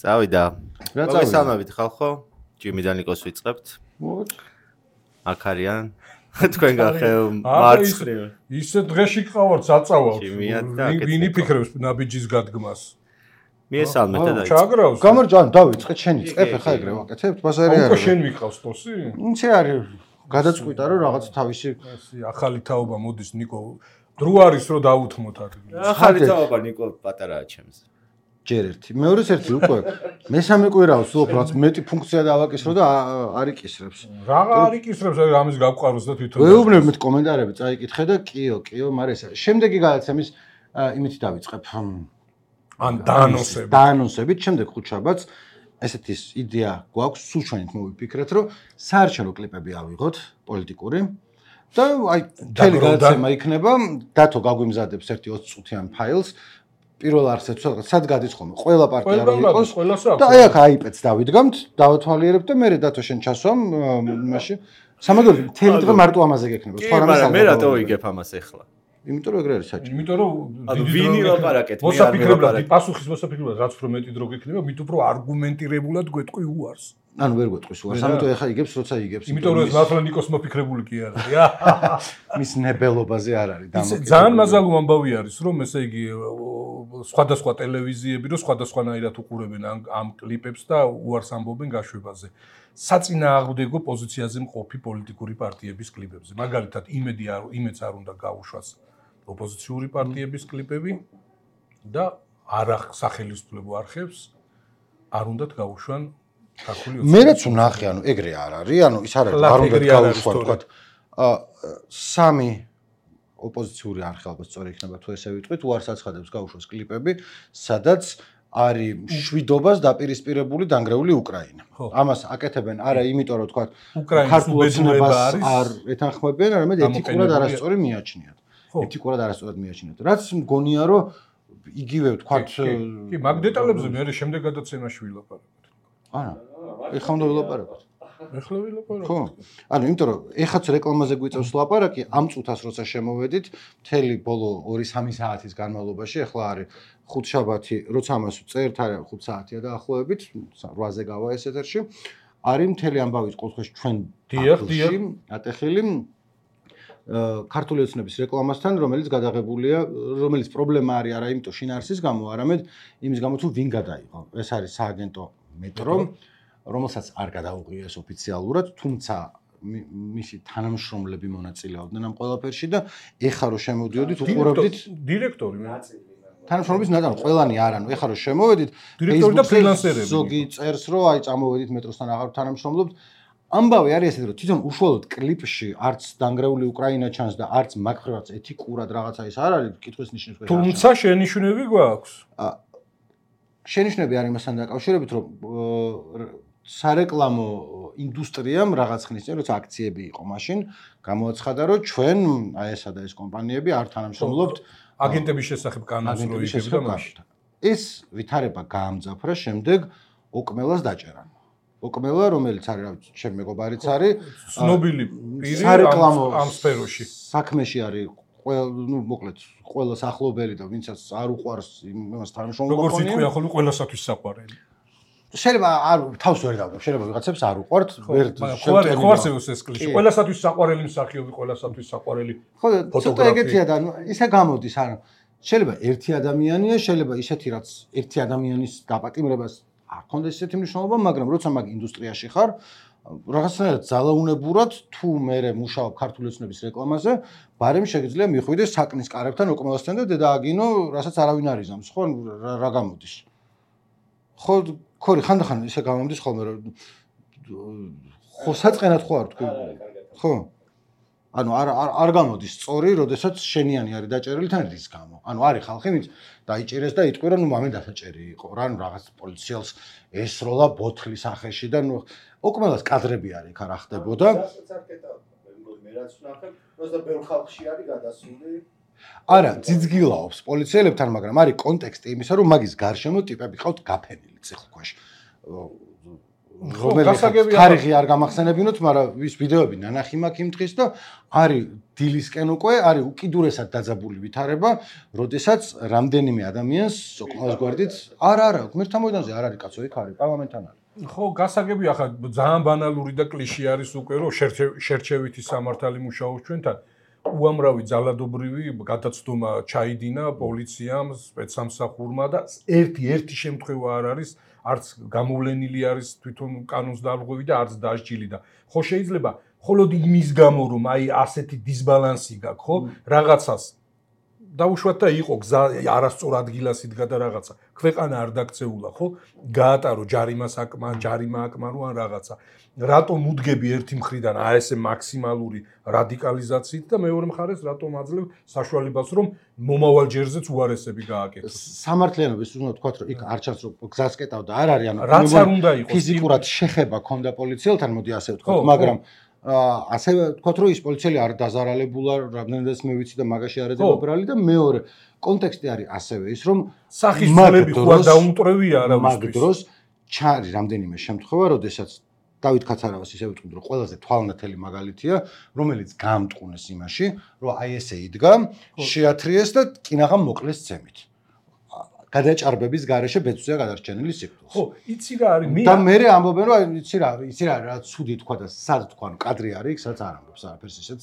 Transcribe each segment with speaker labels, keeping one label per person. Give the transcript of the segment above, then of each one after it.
Speaker 1: წავიდა.
Speaker 2: რა წავიდა?
Speaker 1: მოგესალმებით ხალხო. ჯიმიდან ნიკოს ვიწყებთ. აქ არიან. თქვენ გახევ მარცხნივ.
Speaker 3: ისე დღეში ყავართ საწავავთ.
Speaker 1: ჯიმია და
Speaker 3: ვინი ფიქრებს ნაბიჯის გადგმას?
Speaker 1: მიესალმეთ და
Speaker 3: ჩაგრავს.
Speaker 2: გამარჯვან დავიწყეთ შენი წებ ხა ეგრე ვაკეთებთ ბაზარი არის.
Speaker 3: უკვე შენ ვიყავს ტოსი?
Speaker 2: ინცე არის გადაწყვიტა რომ რაღაც თავისი
Speaker 3: ახალი თაობა მოდის ნიკო. დრო არის რომ დაუთმოთ ადგილს.
Speaker 1: ახალი თაობა ნიკო პატარაა ჩემს.
Speaker 2: ჯერ ერთი. მეორეს ერთი უკვე მესამე კვირაოს უბრალოდ რაც მეტი ფუნქცია დავაკისრო და არ იკისრებს.
Speaker 3: რაღა არ იკისრებს, აი ამის გავყაროს და თვითონ.
Speaker 2: ვეუბნებ მე კომენტარები წაიკითხე და კიო, მაგრამ ეს შემდეგი გადაცემის იმით დავიწყებ.
Speaker 3: ან დაანონსებით.
Speaker 2: დაანონსებით, შემდეგ ხუთშაბათს ესეთი იდეა გვაქვს, სულ ჩვენით მოვიფიქრეთ, რომ საარჩევნო კლიპები ავიღოთ პოლიტიკური და აი მთელი გადაცემა იქნება, დათო გაგვიმზადებს ერთი 20 წუთიან ფაილს. პირველ არსებს სად გადის ხოლმე ყველა პარტია რო იყოს და აი აქ აიპეც დავიდგამთ, დავათვალიერებ და მე დათო შენ ჩასვამ მაშინ სამაგერო მთელი დღე მარტო ამაზე გექნება.
Speaker 1: სხვა რამე მე რატო ვიგებ ამას ახლა?
Speaker 2: იმიტომ რომ ეგრე არის საჭირო.
Speaker 3: იმიტომ რომ
Speaker 1: ვინი ლაპარაკეთ, მე არ
Speaker 3: მოსაფიქრებლად, პასუხის მოსაფიქრებლად რაც უფრო მეტი დრო გექნება, მით უფრო არგუმენტირებულად გვეტყვი უარს.
Speaker 2: ანუ ვერ გვეტყვის უარს, ამიტომ ეხა იგებს, როცა იგებს.
Speaker 3: იმიტომ რომ ეს მართლა ნიკოს მოფიქრებული კი არ არის.
Speaker 2: მის ნებელობაზე არ არის
Speaker 3: დამოკიდებული. ძალიან მაზალო ამბავი არის, რომ ესე იგი სხვადასხვა ტელევიზიები რო სხვადასხვანაირად უყურებენ ამ კლიპებს და უარს ამბობენ გაშვებაზე. საწინააღმდეგო პოზიციაზე მყოფი პოლიტიკური პარტიების კლიპებზე. მაგალითად, იმედს არ უნდა გაუშვას ოპოზიციური პარტიების კლიპები და სახელმწიფო არხებს არ უნდათ გაუშვან ქართული ოცნება.
Speaker 2: მე რაც ვნახე, ანუ ეგრე არ არის, ანუ ის არ არის, არ უნდა გაუშვან, თქვათ, სამი ოპოზიციური არხი ალბათ სწორი იქნება თუ ესე ვიტყვით, უარს აცხადებს გაუშვას კლიპები, სადაც არის მშვიდობას დაპირისპირებული დანგრეული უკრაინა. ამას აკეთებენ არა იმიტომ რომ თქვათ ქართულ ოცნებას არ ეთანხმებიან, არამედ ეთიკურად არასწორი მიაჩნიათ. ეთიკურად არასწორად მიაჩნიათ. რაც მგონია რომ იგივე თქვათ
Speaker 3: კი, მაგ დეტალებზე მე შემდეგ გადაცემაში ვილაპარაკოთ.
Speaker 2: არა, ეხლა უნდა ვილაპარაკოთ.
Speaker 3: ეხლა ვილაპარაკოთ.
Speaker 2: ხო. ანუ იმიტომ რომ ეხაც რეკლამაზე გვიწევს ლაპარაკი, ამ წუთას როცა შემოვედით, მთელი ბოლო 2-3 საათის განმავლობაში, ეხლა არის ხუთშაბათი, როცა ამას წერთ, არის 5 საათია დაახლოებით, 8-ზე გავა ეს ეთერში. არის მთელი ამბავი ყოველთვის ჩვენ დიახ, ატეხილი ქართული ოცნების რეკლამასთან, რომელიც გადაღებულია, რომელიც პრობლემა არის არა იმიტომ შინაარსის გამო, არამედ იმის გამო თუ ვინ გადაიღო. ეს არის სააგენტო მეტრო, რომელსაც არ გადაუღიეს ოფიციალურად, თუმცა მისი თანამშრომლები მონაწილეობდნენ ამ ყველაფერში და ეხლა რო შემოვიდით, უყურებდით
Speaker 3: დირექტორი
Speaker 2: თანამშრომლობის ნატან ყველანი არ ანუ ეხლა რო შემოვედით,
Speaker 3: დირექტორი და ფრილანსერები.
Speaker 2: ზოგი წერს რომ აი წამოვედით მეტროსთან აღარ თანამშრომლობთ. ამბავი არის ესეთი რომ თვითონ უშუალოდ კლიპში არც დანგრეული უკრაინა ჩანს და არც მაგხრივაც ეთიკურად რაღაცა ის არ არის კითხვის ნიშნებს.
Speaker 3: თუმცა შენიშვნები გვაქვს.
Speaker 2: შენიშვნები არის იმასთან დაკავშირებით რომ სარეკლამო ინდუსტრიამ რაღაც ხნის წინ როცა აქციები იყო მაშინ გამოაცხადა რომ ჩვენ აი ესა და ეს კომპანიები არ თანამშრომლობთ
Speaker 3: აგენტების შესახებ კანონს რო იგებდა მაშინ.
Speaker 2: ეს ვითარება გაამძაფრა შემდეგ ოკმელას დაჭერან. ოკმელა რომელიც არის რა ვიცი ჩემი მეგობარიც არის
Speaker 3: ცნობილი პირი ამ სფეროში.
Speaker 2: საქმეში არის მოკლედ ყველას ახლობელი და ვინცაც არ უყვარს იმას თანამშრომლობა.
Speaker 3: როგორც იტყვი ახლა ყველასათვის საყვარელი.
Speaker 2: შეიძლება არ თავს ვერ დავდებ, შეიძლება ვიღაცებს არ უყვართ, ვერ
Speaker 3: ხوارსევს ეს კლიშე. ყველასათვის საყვარელი მსახიობი, ყველასათვის საყვარელი
Speaker 2: ფოტოგრაფი. ხო, ცოტა ეგეთია და ისე გამოდის, ანუ შეიძლება ერთი ადამიანია, შეიძლება ისეთი რაც ერთი ადამიანის დაპატიმრებას არ ქონდეს ესეთი მნიშვნელობა, მაგრამ როცა მაგ ინდუსტრიაში ხარ, რაღაცნაირად ძალაუნებურად თუ მე მუშაობ ქართული ოცნების რეკლამაზე, ბარემ შეგიძლია მიხვიდეს საკნის კარებთან ოკმელასთან და დედააგინო, რასაც არავინ არ იზამს, ხო, რა გამოდის. ხო, ხორი ხანდახან ისე გამომდის ხოლმე რომ ხო საწყენად ხო არ თქვი ხო ანუ არ გამოდის სწორი როდესაც შენიანი არის დაჭერილი თან რის გამო ანუ არის ხალხი ვინც დაიჭერეს და იტყვი რომ ნუ მამე დასაჭერი იყო რა ნუ რაღაც პოლიციელს ესროლა ბოთლის სახეში და ნუ ოკმელას კადრები არის ხა რა ხდებოდა
Speaker 4: მე რაც ვნახებ როცა ბევრ ხალხში არის გადასული
Speaker 2: არა ძიძგილაობს პოლიციელებთან მაგრამ არის კონტექსტი იმისა რომ მაგის გარშემო ტიპები ყავთ გაფენილი ციხლქვეშ რომელიც თარიღი არ გამახსენებინოთ, მაგრამ ის ვიდეოები ნანახი მაქვს იმ დღის და არის დილისკენ უკვე არის უკიდურესად დაძაბული ვითარება, როდესაც რამდენიმე ადამიანს სოკოლის გვერდით არა, ღმერთთა მოედანზე არ არის კაცო, იქ არის პარლამენტთან არის.
Speaker 3: ხო, გასაგები ახლა ძალიან ბანალური და კლიშე არის უკვე, რომ შერჩევითი სამართალი მუშაობს ჩვენთან. უამრავი ძალადობრივი გადაცდომა ჩაიდინა პოლიციამ, სპეცსამსახურმა და ერთი შემთხვევა არ არის, არც გამოვლენილი არის თვითონ კანონს დარღვევი და არც დასჯილი და ხო შეიძლება მხოლოდ იმის გამო რომ აი ასეთი დისბალანსი გაქვს, ხო, რაღაცას დაუშვათ და იყო გზა არასწორ ადგილას იდგა და რაღაცა ქვეყანა არ დაქცეულა, ხო, გაატარო ჯარიმა აკმა რო ან რაღაცა რატომ უდგები ერთი მხრიდან აი ესე მაქსიმალური რადიკალიზაციით და მეორე მხარეს რატომ აძლევ საშუალებას რომ მომავალ ჯერზეც უარესები გააკეთოს.
Speaker 2: სამართლიანობის უნდა თქვა რომ იქ არ ჩანს რომ გზას კეტავდა არ არის, ანუ
Speaker 3: რაც არ უნდა იყოს
Speaker 2: ფიზიკურად შეხება ქონდა პოლიციელთან, მოდი ასე ვთქვა, მაგრამ ასე ვთქვათ რომ ის პოლიციელი არ დაზარალებულა, რამდენადაც მე ვიცი და მაგაში არ ედება ბრალი და მეორე კონტექსტი არის ასევე ის რომ
Speaker 3: სახის ძვლები ხო დაუმტვრევია არავისთვის.
Speaker 2: მაგ დროს ჩარი რამდენიმე შემთხვევა, როდესაც დავით კაცარავას ისე ვიტყვით რომ ყველაზე თვალნათელი მაგალითია, რომელიც გაამტყუნეს იმაში, რომ აი ესე იდგა, შეათრიეს და კინაღამ მოკლეს ცემით. გადაჭარბების გარეშე ბეწვია გადარჩენილი სიკვდილს.
Speaker 3: ხო, იცი რა არის?
Speaker 2: და მე ამბობენ რომ იცი რა რა ცუდი თქვა და სად თქვა, კადრი არის, იქ სადაც არ ამბობს არაფერს ისეც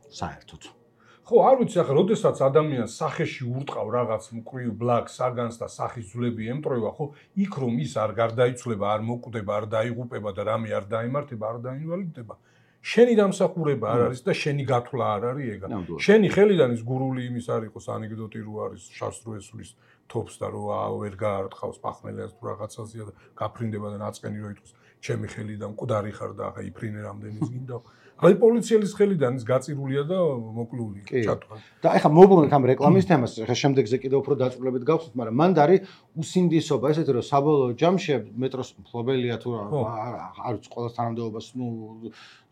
Speaker 2: საერთოდ.
Speaker 3: ხო, არ ვიცი ახლა, როდესაც ადამიანს სახეში ურტყავ რაღაც მკვრივ ბლაკს, საგანს და სახის ძვლები ემტრევა, ხო, იქ რომ ის არ გარდაიცვლება, არ მოკვდება, არ დაიღუპება და რამე არ დაიმართება, არ დაინვალიდდება. შენი დამსახურება არ არის და შენი გათვლა არ არის ეგა. შენი ხელიდან ის გურული იმის არ იყოს ანეკდოტი რო არის შავს რო ესulis თობს და რო ვერ გაარტყავს პახმელას თუ რაღაცაზეა და გაფრინდება და ნაწყენი რო იტყვის ჩემი ხელიდან მკვდარი ხარ და ახლა იფრინე რამდენის გინდა. აი პოლიციელის ხელიდან ის გაწირულია და მოკლული ჩატვა.
Speaker 2: და ახლა მოვუბრუნოთ ამ რეკლამის თემას, ახლა შემდეგზე კიდევ უფრო დაწვრილებით გავხსნით, მაგრამ მანდ არის უსინდისობა, ესეთი რომ საბოლოო ჯამში მეტროს მფლობელია თუ არ ვიცი ყოველს თანამდებობას,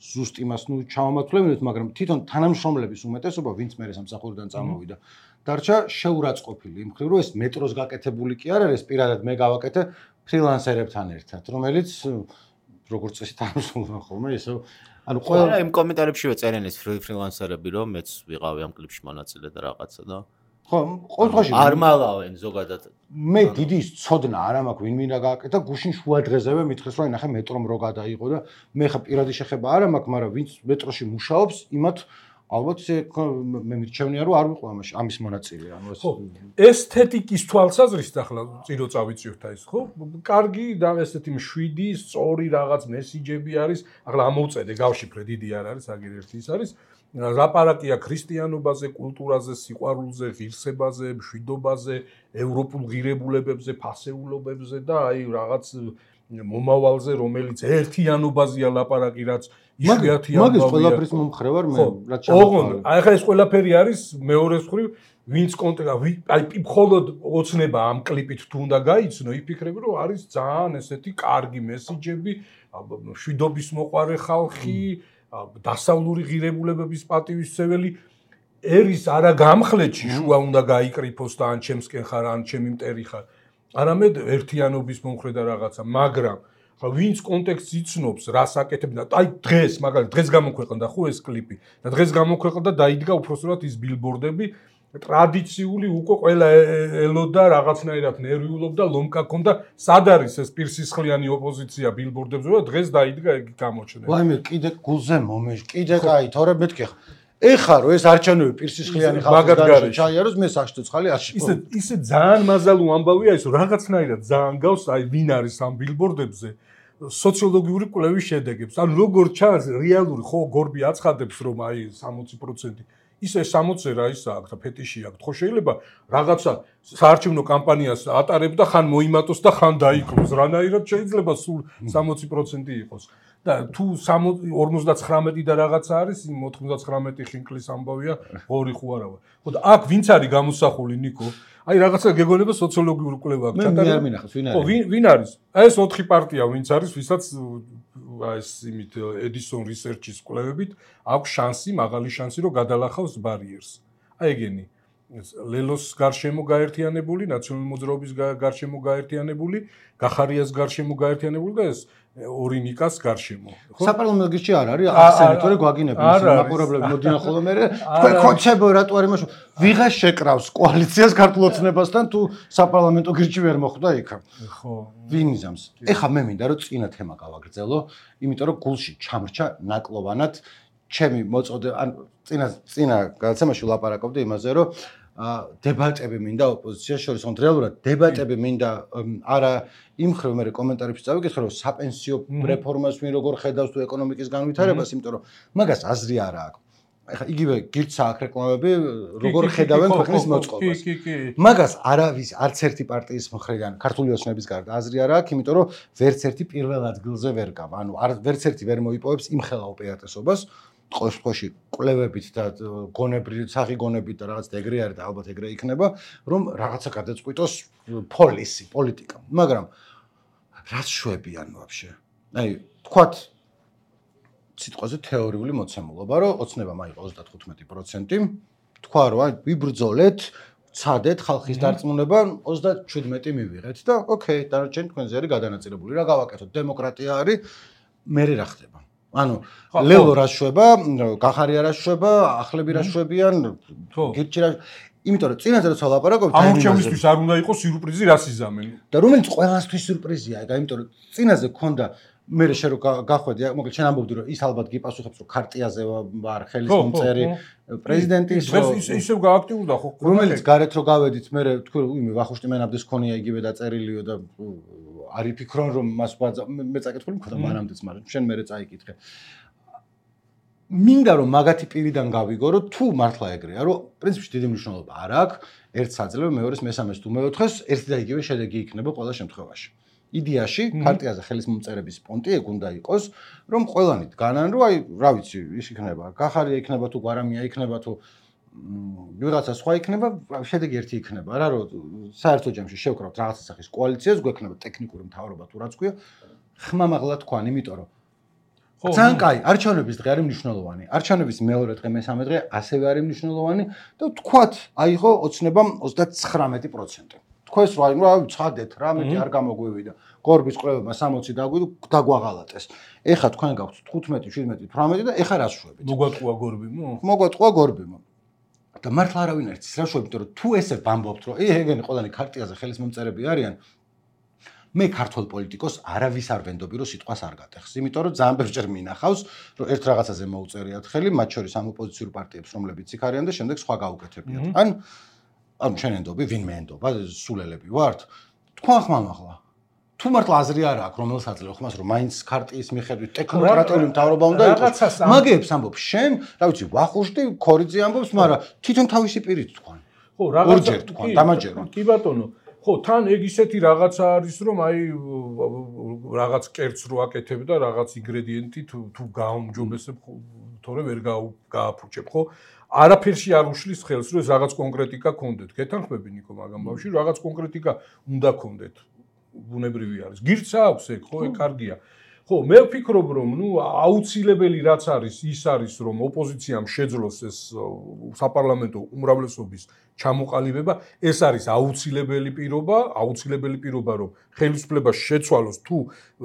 Speaker 2: ზუსტ იმას ჩავამართლებინოთ, მაგრამ თვითონ თანამშრომლების უმეტესობა, ვინც მე სამსახურიდან წამოვიდა, დარჩა შეურაცხყოფილი იმ მხრივ, რომ ეს მეტროს გაკეთებული კი არ არის, პირადად მე გავაკეთე ფრილანსერებთან ერთად, რომელიც როგორც წესი თანამშრომლობენ ხოლმე, ისე ანუ
Speaker 1: ყველა იმ კომენტარებშივე წერენ ეს ფრილანსერები რომ მეც ვიყავი ამ კლიპში მონაწილე და რაღაცა და
Speaker 2: ხო, ყოველთვის
Speaker 1: არ მალავენ ზოგადად.
Speaker 2: მე დიდი ცოდნა არ მაქვს ვინ მინდა გააკეთა, გუშინ შუა დღეზევე მითხეს რომ ნახე მეტრომ რო გადაიღო და მე ხა პირადი შეხება არ მაქვს, მაგრამ ვინც მეტროში მუშაობს, იმათ ალბათ მე მირჩევნია რომ არ ვიყო ამის მონაწილე, ანუ ეს
Speaker 3: ესთეტიკის თვალსაზრისით ახლა წირო წავიწევთ ეს, ხო? კარგი და ესეთი მშვიდი, სწორი რაღაც მესიჯები არის, ახლა ამოვწედე, გავშიფრე, დიდი არ არის, აგერ ერთი ის არის. ლაპარაკია ქრისტიანობაზე, კულტურაზე, სიყვარულზე, ღირსებაზე, მშვიდობაზე, ევროპულ ღირებულებებზე, ფასეულობებზე და აი რაღაც მომავალზე, რომელიც ერთიანობაზეა ლაპარაკი, რაც იშვიათია.
Speaker 2: მაგის ყველაფრის მომხრე ვარ მე, რაც
Speaker 3: ჩამოყალიბდა. აი ხა ეს ყველაფერი არის მეორე მხრივ, ვინც აი მხოლოდ ოცნება ამ კლიპით თუ უნდა გაიცნო, იფიქრები რომ არის ძალიან ესეთი კარგი მესიჯები, მშვიდობის მოყვარე ხალხი, დასავლური ღირებულებების პატივისცემელი ერის არა გამხლეთში შუა უნდა გაიკრიფოს და ან ჩემსკენ ხარ, ან ჩემი მტერი ხარ. არამედ ერთიანობის მომხრე და რაღაცა, მაგრამ ხა ვინც კონტექსტს იცნობს, რას აკეთებდა, აი დღეს, მაგალითად, დღეს გამოქვეყნდა ხო ეს კლიპი და დღეს გამოქვეყნდა და დაიდგა უпроსტად ის ბილბორდები, ტრადიციული უკვე ყველა ელოდა რაღაცნაირად ნერვიულობდა, ლომკა ქონდა, სად არის ეს პირსისხლიანი ოპოზიცია ბილბორდებზე და დღეს დაიდგა ეგ გამოჩენა.
Speaker 2: ვაიმე, კიდე გულზე მომეშ, კიდე კაი, თორე მეთქი ხა. ეხა რო ეს არჩევნები პირსისხლიანი ხალხის გარეშე ჩაიაროს, მე საშტო ცხალი არ შევა.
Speaker 3: ისე ძალიან მაზალუ ამბავია ის, რაღაცნაირად ძალიან გავს, აი ვინ არის ამ ბილბორდებზე სოციოლოგიური კვლევის შედეგებს. ანუ როგორ ჩანს რეალური ხო გორბი აცხადებს რომ აი 60% ისე 60 რა ისა აქვს და ფეტიში აქვს. ხო შეიძლება რაღაცა საარჩევნო კამპანიას ატარებ და ხან მოიმატოს და ხან დაიკლოს. რანაირად შეიძლება სულ 60% იყოს. და თუ 59 და რაღაცა არის, 99 ხინკლის ამბავია, ღორი ხო არა ვარ. ხო და აქ ვინც არის გამოსახული ნიკო? აი რაღაცა გეგონება სოციოლოგიური კვლევა აქვს.
Speaker 2: მე არ მინახავს ვინ არის?
Speaker 3: ხო, ვინ არის? აი ეს 4 პარტია ვინც არის, ვისაც ეს იმით Edison Research-ის კვლევებით აქვს შანსი, მაღალი შანსი რომ გადალახავს ბარიერს. აი ეგენი. ლელოს გარშემო გაერთიანებული, ნაციონალური მოძრაობის გარშემო გაერთიანებული, გახარიას გარშემო გაერთიანებული და ეს ორი ნიკას გარშემო.
Speaker 2: საპარლამენტო გირჩი არ არის ახსენეთ, თორე გვაგინებენ ისინი მაყურებლები მოდიან ხოლმე მე თქვენ ხოცებო რატო არ იმაშო ვიღას შეკრავს კოალიციას ქართულ ოცნებასთან თუ საპარლამენტო გირჩი ვერ მოხვდა იქ.
Speaker 3: ხო.
Speaker 2: ვინ იზამს? ეხა მე მინდა რომ წინა თემა გავაგრძელო, იმიტომ რომ გულში ჩამრჩა ნაკლოვანად ჩემი მოწოდე ან წინა გადაცემაში ვლაპარაკობდი იმაზე რომ დებატები მინდა ოპოზიციას შორის, თუმცა რეალურად დებატები მინდა არა იმ ხრივ მე კომენტარებში წავიკითხე რომ საპენსიო რეფორმას ვინ როგორ ხედავს თუ ეკონომიკის განვითარებას, იმიტომ რომ მაგას აზრი არა აქვს. ეხლა იგივე გირჩა აქ რეკლამები როგორ ხედავენ ქვეყნის მოწყობას. მაგას არავის არც ერთი პარტიის მხრიდან ქართული ოცნების გარდა აზრი არა აქვს, იმიტომ რომ ვერც ერთი პირველ ადგილზე ვერ გავა. ანუ ვერც ერთი ვერ მოიპოვებს იმ ხელა უპირატესობას ყოველ შემთხვევაში კვლევებით და გონებრივი სახი გონებით და რაღაც ეგრე არის და ალბათ ეგრე იქნება, რომ რაღაცა გადაწყვიტოს პოლიტიკა. მაგრამ რაც შვებიან ვაფშე. აი, თქვათ სიტყვაზე თეორიული მოცემულობა, რომ ოცნებამ აიღო 35%, თქვა რომ აი ვიბრძოლეთ, ცადეთ ხალხის დარწმუნება 37 მივიღეთ და ოკეი, დანარჩენი თქვენზე არის გადანაწილებული. რა გავაკეთოთ? დემოკრატია არის, მე რა ხდება? ანუ ლელო რა შვება, გახარია რა შვება, ახლები რა შვებიან, გირჩი რა. იმიტომ რომ წინაზე როცა ვლაპარაკობთ,
Speaker 3: ამორჩევლისთვის არ უნდა იყოს სიურპრიზი, რას იზამენ.
Speaker 2: და რომელიც ყველასთვის სიურპრიზია, იმიტომ რომ წინაზე ქონდა მე შე რო გახვედი, მოკლედ შენ ამბობდი რომ ის ალბათ გიპასუხებს რომ ქარტიაზე ვარ ხელის მომწერი პრეზიდენტის
Speaker 3: ისევ გააქტიურდა ხო
Speaker 2: რომელიც გარეთ რო გავედით მე თქვი რომ იმე ვახუშტი მენაბდეს ქონია იგივე დაწერილიო და არ იფიქრონ რომ მას მე წაკითხული მქონდა მანამდეც მაგრამ შენ მე წაიკითხე მინდა რომ მაგათი პირიდან გავიგო რომ თუ მართლა ეგრეა რომ პრინციპში დიდი მნიშვნელობა არ აქვს ერთს აძლევ მეორეს მესამეს თუ მეოთხეს ერთი და იგივე შედეგი იქნება ყველა შემთხვევაში იდეაში ქარტიაზე ხელის მომწერების პონტი ეგ უნდა იყოს რომ ყველანი დგანან რომ აი რა ვიცი ის იქნება გახარია იქნება თუ გვარამია იქნება თუ ვიღაცა სხვა იქნება შედეგი ერთი იქნება რა რომ საერთო ჯამში შევკრავთ რაღაცა სახის კოალიციას გვექნება ტექნიკური მთავრობა თუ რაც ქვია ხმამაღლა თქვან იმიტომ რომ ძალიან კაი არჩევნების დღე არის მნიშვნელოვანი არჩევნების მეორე დღე მესამე დღე ასევე არის მნიშვნელოვანი და თქვათ აიღო ოცნებამ 39% თქვენს რა ცხადეთ რა მეტი არ გამოგვივიდა გორბის კვლევებმა 60 დაგვაღალატეს ეხა თქვენ გაქვთ 15 17 18 და ეხა რას შვებით მოგვატყუა გორბიმო და მართლა არავინ არ იცის რა შვებით იმიტომ რომ თუ ესე ვამბობთ რომ ეგენი ყველანი ქარტიაზე ხელის მომწერები არიან მე ქართულ პოლიტიკოს არავის არ ვენდობი რომ სიტყვას არ გატეხს იმიტომ რომ ძალიან ბევრჯერ მინახავს რომ ერთ რაღაცაზე მოუწერიათ ხელი მათ შორის ამ ოპოზიციურ პარტიებს რომლებიც იქ არიან და შემდეგ სხვა გაუკეთებიათ ან შენ ენდობი ვინმე ენდობა სულელები ვართ თქვენ ხმამაღლა თუ მართლა აზრი არ აქვს რომელსაც აძლევ ხმას რომ მაინც ქარტიის მიხედვით ტექნოკრატიული მთავრობა უნდა იყოს მაგეებს ამბობ შენ რა ვიცი ვახუშტი ქორიძე ამბობს მაგრამ თვითონ თავისი პირით თქვენ
Speaker 3: ხო რაღაცა
Speaker 2: თქვენ დამაჯერა
Speaker 3: კი ბატონო ხო თან ეგ ისეთი რაღაცა არის რომ აი რაღაც კერც რო აკეთებ და რაღაც ინგრედიენტი თუ გაუმჯობესებ თორე ვერ გააფუჭებ ხო არაფერში არ უშლის ხელს რომ ეს რაღაც კონკრეტიკა გქონდეთ გეთანხმები ნიკო მაგამ ბავშვი რაღაც კონკრეტიკა უნდა გქონდეთ ბუნებრივი არის გირჩა აქვს ეგ ხო ეგ კარგია ხო მე ვფიქრობ რომ ნუ აუცილებელი რაც არის ის არის რომ ოპოზიციამ შეძლოს ეს საპარლამენტო უმრავლესობის ჩამოყალიბება ეს არის აუცილებელი პირობა რომ ხელისუფლება შეცვალოს თუ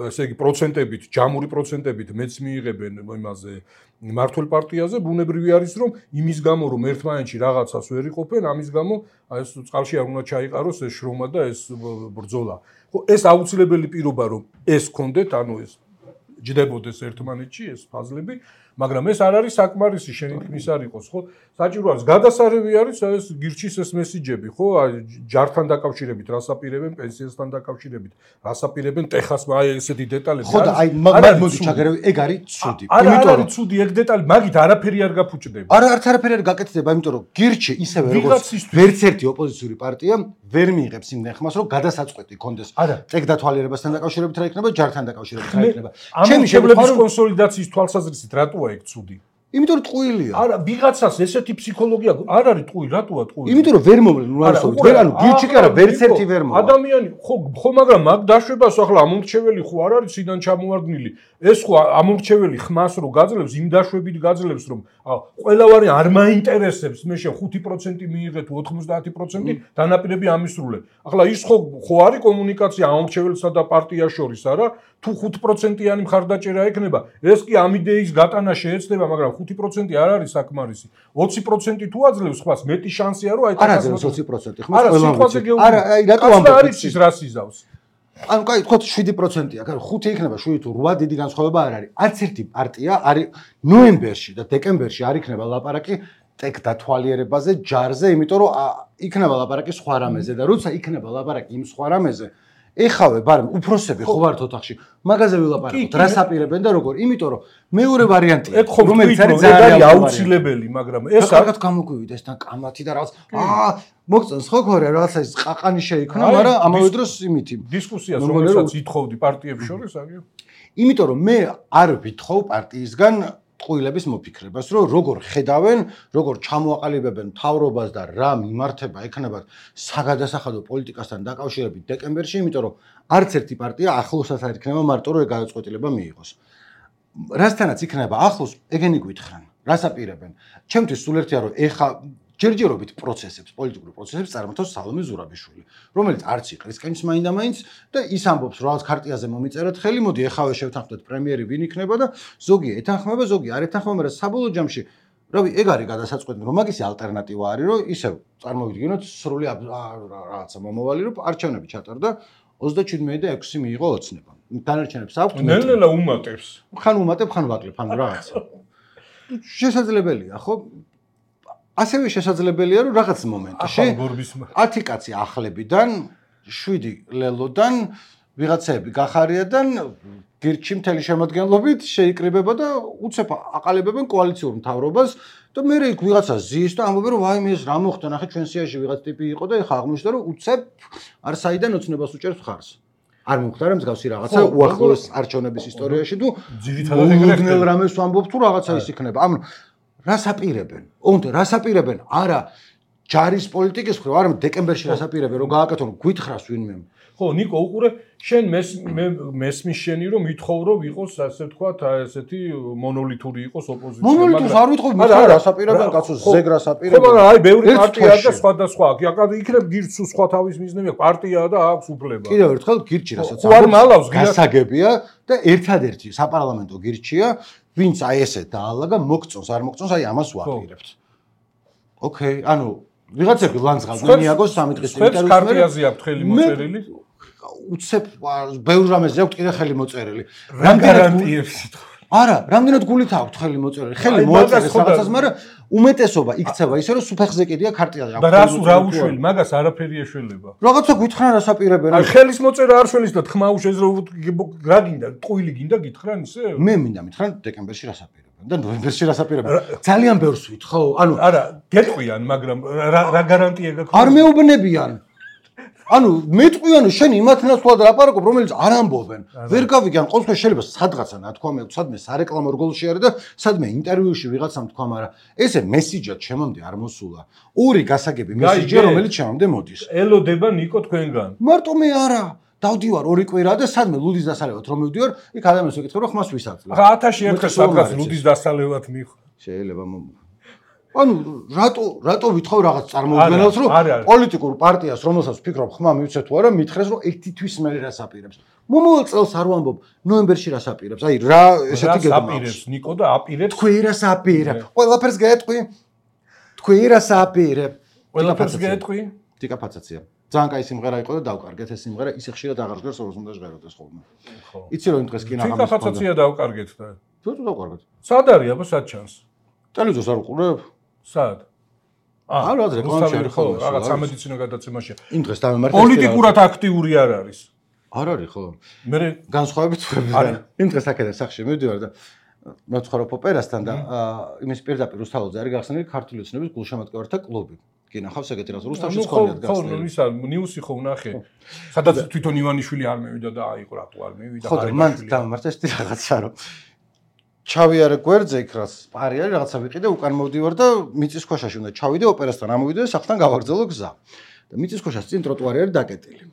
Speaker 3: ესე იგი პროცენტებით ჯამური პროცენტებით მეც მიიღებენ იმაზე მართულ პარტიაზე ბუნებრივი არის რომ იმის გამო რომ ერთმანეთში რაღაცას ვერ იყოფენ ამის გამო ეს წყალში არ უნდა ჩაიყაროს ეს შრომა და ეს ბრძოლა ხო ეს აუცილებელი პირობა რომ ეს გქონდეთ ანუ ეს ჯდებოდეს ერთმანეთში ეს ფაზლები მაგრამ ეს არ არის საკმარისი შენი თქმის არ იყოს ხო საჭირო არის გადასარევი არის ეს გირჩის ეს მესიჯები ხო ჯართან დაკავშირებით რასაპირებენ პენსიასთან დაკავშირებით რასაპირებენ ტეხას აი ესეთი დეტალები
Speaker 2: ხო და აი მაგ მოდი ჩაგერევი ეგ არის ცუდი
Speaker 3: იმიტომ რომ ცუდი ეგ დეტალი მაგით არაფერი არ გაფუჭდება
Speaker 2: არაფერი არ გაკეთდება იმიტომ რომ გირჩი ისევე როგორც ვერც ერთი ოპოზიციური პარტია ვერ მიიღებს იმ ნეხმას რომ გადასაწყვეტი კონდეს ტექდათვალიერებასთან დაკავშირებით რა იქნება ჯართან დაკავშირებით რა იქნება
Speaker 3: ჩემი შეფლების კონსოლიდაციის თვალსაზრისით რატოა ეგ ცუდი
Speaker 2: იმიტომ რომ ტყუილია.
Speaker 3: არა, ვიღაცას ესეთი ფსიქოლოგია არ არის ტყუი, რატოა ტყუი?
Speaker 2: იმიტომ რომ ვერ მოვლენ, ნუ არსობთ. ვერ ანუ გირჩი კი არა, ვერც ერთი ვერ მოვა.
Speaker 3: ადამიანი ხო, მაგრამ მაგ დაშვებას ახლა ამორჩეველი ხო არ არის სიდან ჩამოვარდნილი. ეს ხო ამორჩეველი ხმას რო გაძლევს, იმ დაშვებით გაძლევს, რომ ყველავარი არ მაინტერესებს, მე შე 5% მიიღე თუ 90% დანაპირები ამისრულე. ახლა ის ხო არის კომუნიკაცია ამორჩეველსა და პარტიას შორის, არა? თუ 5%-იანი მხარდაჭერა ექნება, ეს კი ამ იდეის გატანა შეეცდება, მაგრამ 5% არ არის საკმარისი. 20% თუ აძლევს ხმას, მეტი შანსია რომ აი
Speaker 2: არ აძლევს 20% ხმას
Speaker 3: ყველა
Speaker 2: ვიცი.
Speaker 3: გეუბნები.
Speaker 2: არა, აი რატო ამბობ?
Speaker 3: არის ის რას იზავს?
Speaker 2: ანუ კაი, თქვათ 7%-ია, კაი, 5 იქნება 7 თუ 8 დიდი განსხვავება არ არის. არც ერთი პარტია არის ნოემბერში და დეკემბერში არ იქნება ლაპარაკი ტეკ დათვალიერებაზე, ჯარზე, იმიტომ რომ იქნება ლაპარაკი სხვა რამეზე და როცა იქნება ლაპარაკი იმ სხვა რამეზე, ეხავე, ბარემ უფროსები ხო ვართ ოთახში. მაგაზე ვილაპარაკოთ, რას აპირებენ და როგორ? იმიტომ რომ მეორე ვარიანტია,
Speaker 3: რომელიც არის ძალიან აუცილებელი, მაგრამ ეს
Speaker 2: კარგად გამოგვივიდა ეს თან კამათი და რაღაც მოგწონს ხო ქორე რაღაცა ის ყაყანი შეიქმნა, მაგრამ ამავე დროს იმითი
Speaker 3: დისკუსიას რომელსაც ითხოვდი პარტიების შორის აგერ.
Speaker 2: იმიტომ რომ მე არ ვითხოვ პარტიისგან ტყუილების მოფიქრებას, რომ როგორ ხედავენ, როგორ ჩამოაყალიბებენ მთავრობას და რა მიმართება ექნებათ საგადასახადო პოლიტიკასთან დაკავშირებით დეკემბერში, იმიტომ რომ არც ერთი პარტია ახლოსაც არ იქნება მარტო რომ გადაწყვეტილება მიიღოს. რასთანაც იქნება ახლოს, ეგენი გვითხრან, რას აპირებენ? ჩემთვის სულ ერთია რომ ეხა ჯერჯერობით პროცესებს, პოლიტიკურ პროცესებს წარმართავს სალომე ზურაბიშვილი, რომელიც არც იყრისკენს მაინდა-მაინც და ის ამბობს, რომ რაღაც ქარტიაზე მომიწერეთ ხელი, მოდი ეხავე შევთანხმდეთ პრემიერი ვინ იქნება და ზოგი ეთანხმება, ზოგი არ ეთანხმება, მაგრამ საბოლოო ჯამში, რავი, ეგ არის გადასაწყვეტი, რომ მაგისი ალტერნატივა არის, რომ ისევ წარმოვიდგინოთ სრული რაღაცა მომავალი, რომ არჩევნები ჩატარდა 37 და 6 მიიღო ოცნება. დანარჩენებს აქვთ.
Speaker 3: ნელ-ნელა უმატებს.
Speaker 2: ხან უმატებ, ხან ვაკლებ, ხან რაღაცა. შესაძლებელია, ხო? ასევე შესაძლებელია რომ რაღაც მომენტში 10 კაცი ახლებიდან 7 ლელოდან ვიღაცები გახარიადან გირჩი მთელი შემოადგენლობით შეიკრიბება და უცებ აყალიბებენ კოალიციურ მთავრობას და მე იქ ვიღაცა ზის და ამბობენ რომ ვაიმე ეს რა მოხდა ნახე ჩვენ სიაში ვიღაც ტიპი იყო და ეხა აღმოჩნდა რომ უცებ არსაიდან ოცნებას უჭერს მხარს არ მომხდარა მსგავსი რაღაცა უახლოეს არჩევნების ისტორიაში თუ ძირითადად ეგრე რამეს ვამბობ თუ რაღაცა ის იქნება ანუ რას აპირებენ? ოღონდ რას აპირებენ? არა ჯარის პოლიტიკის მხრივ, არამედ დეკემბერში რას აპირებენ, რომ გააკეთონ გვითხრას ვინმე.
Speaker 3: ხო, ნიკო, უყურე, შენ მესმის შენი რომ ვითხოვ რომ იყოს ასე ვთქვათ, ესეთი მონოლითური იყოს ოპოზიცია.
Speaker 2: მონოლითურს არ ვითხოვ, მაგრამ რას აპირებენ, კაცო, ზეგ რას აპირებენ.
Speaker 3: ხო, მაგრამ აი ბევრი პარტია და სხვადასხვა აქვს. იქნებ გირჩს სხვა თავის მიზნები აქვს, პარტია და აქვს უფლება.
Speaker 2: კიდევ ერთხელ გირჩი რასაც გასაგებია და ერთადერთი საპარლამენტო გირჩია ვინც აი ესე დაალაგა მოგწონს არ მოგწონს აი ამას ვაპირებთ. ოკეი, ანუ ვიღაცები ლანძღავდნენ მიაგოს 3 დღის
Speaker 3: ინტერვიუს. კარტიაზე აქვს ხელი მოწერილი.
Speaker 2: უცებ ბევრ რამეზე აქვს კიდე ხელი მოწერილი.
Speaker 3: რა გარანტიებს?
Speaker 2: არა, რამდენად გულით აქვს ხელი მოწერილი. ხელი მოაწერეს რაღაცას, მაგრამ უმეტესობა იქცევა ისე რომ სუფეხზე კიდია ქარტიაზე
Speaker 3: აქვს. და რას რა უშველი, მაგას არაფერი ეშველება.
Speaker 2: რაღაცა გითხრან რას აპირებენ?
Speaker 3: აი ხელის მოწერა არ შველის და თქმა უშეძლო რა გინდა, ტყუილი გინდა გითხრან ისე?
Speaker 2: მე მინდა მითხრან დეკემბერში რას აპირებენ და ნოემბერში რას აპირებენ. ძალიან ბევრს ვითხოვ, ანუ
Speaker 3: არა, გეტყვიან, მაგრამ რა გარანტია გაქვს?
Speaker 2: არ მეუბნებიან. ანუ მეტყვიანო შენ იმათ ნაცვლად ლაპარაკობ რომელიც არ ამბობენ ვერ გავიგან ყოველთვის შეიძლება სადღაცა ნათქვამი აქვს სადმე სარეკლამო რგოლში არის და სადმე ინტერვიუში ვიღაცამ თქვა მაგრამ ესე მესიჯად ჩემამდე არ მოსულა ორი გასაგები მესიჯია რომელიც ჩემამდე მოდის
Speaker 3: ელოდება ნიკო თქვენგან
Speaker 2: მარტო მე არა დავდივარ ორი კვირა და სადმე ლუდის დასალევად რომ მივდივარ იქ ადამიანს ვეკითხებ რომ ხმას ვისაძლევ
Speaker 3: ხა 1000 ერთხელ სადღაც ლუდის დასალევად მიხ
Speaker 2: შეიძლება ანუ რატო ვითხოვ რაღაც წარმოუდგენელს რომ პოლიტიკურ პარტიას რომელსაც ვფიქრობ ხმა მივცე თუ არა მითხრეს რომ ერთი თვის მე რას აპირებს მომავალ წელს არ ვამბობ ნოემბერში რას აპირებს აი რა ესეთი
Speaker 3: გეტყვი ნიკო და აპირებს
Speaker 2: თქვი რას აპირებ ყველაფერს გეტყვი თქვი რას აპირებ
Speaker 3: ყველაფერს გეტყვი
Speaker 2: ტიკაფაცაცია ძალიან კაი სიმღერა იყო და დავკარგეთ ეს სიმღერა ისე ხშირად აღარ ჟღერს როგორც უნდა ჟღეროდეს ხოლმე იცი რომ იმ დღეს კინაღამის
Speaker 3: ტიკაფაცაცია დავკარგეთ და
Speaker 2: თუ დავკარგეთ
Speaker 3: სად არის აბა სად ჩანს
Speaker 2: ტელევიზორს არ უყურებ
Speaker 3: სად?
Speaker 2: არა, რეკლამაში არის
Speaker 3: ხო, რაღაც სამედიცინო გადაცემაშია.
Speaker 2: იმ დღეს დამემართეს.
Speaker 3: პოლიტიკურად აქტიური არ არის.
Speaker 2: არ არის ხო?
Speaker 3: მე
Speaker 2: განსხვავებით ვები. იმ დღეს აქედან სახში მივდივარ და მეცხოვრობ ოპერასთან და იმის პირდაპირ რუსთაველზე არის გახსნილი ქართული ოცნების გულშემატკივართა კლუბი. კი ნახავს ეგეთი რაღაც რუსთავში სკოლად გახსნილი.
Speaker 3: ხო, ისა ნიუსი ხო ვნახე. სადაც თვითონ ივანიშვილი არ მევიდა და აიყო რატო არ მევიდა.
Speaker 2: ხო, მან დამემართეს რაღაცა რომ ჩავიარე გვერდზე იქ რაც პარი არის რაღაცა ვიყიდე უკან მოვდივარ და მიწისქვეშაში უნდა ჩავიდე ოპერასთან ამოვიდე სახლთან გავაგრძელო გზა და მიწისქვეშას წინ ტროტუარი არის დაკეტილი.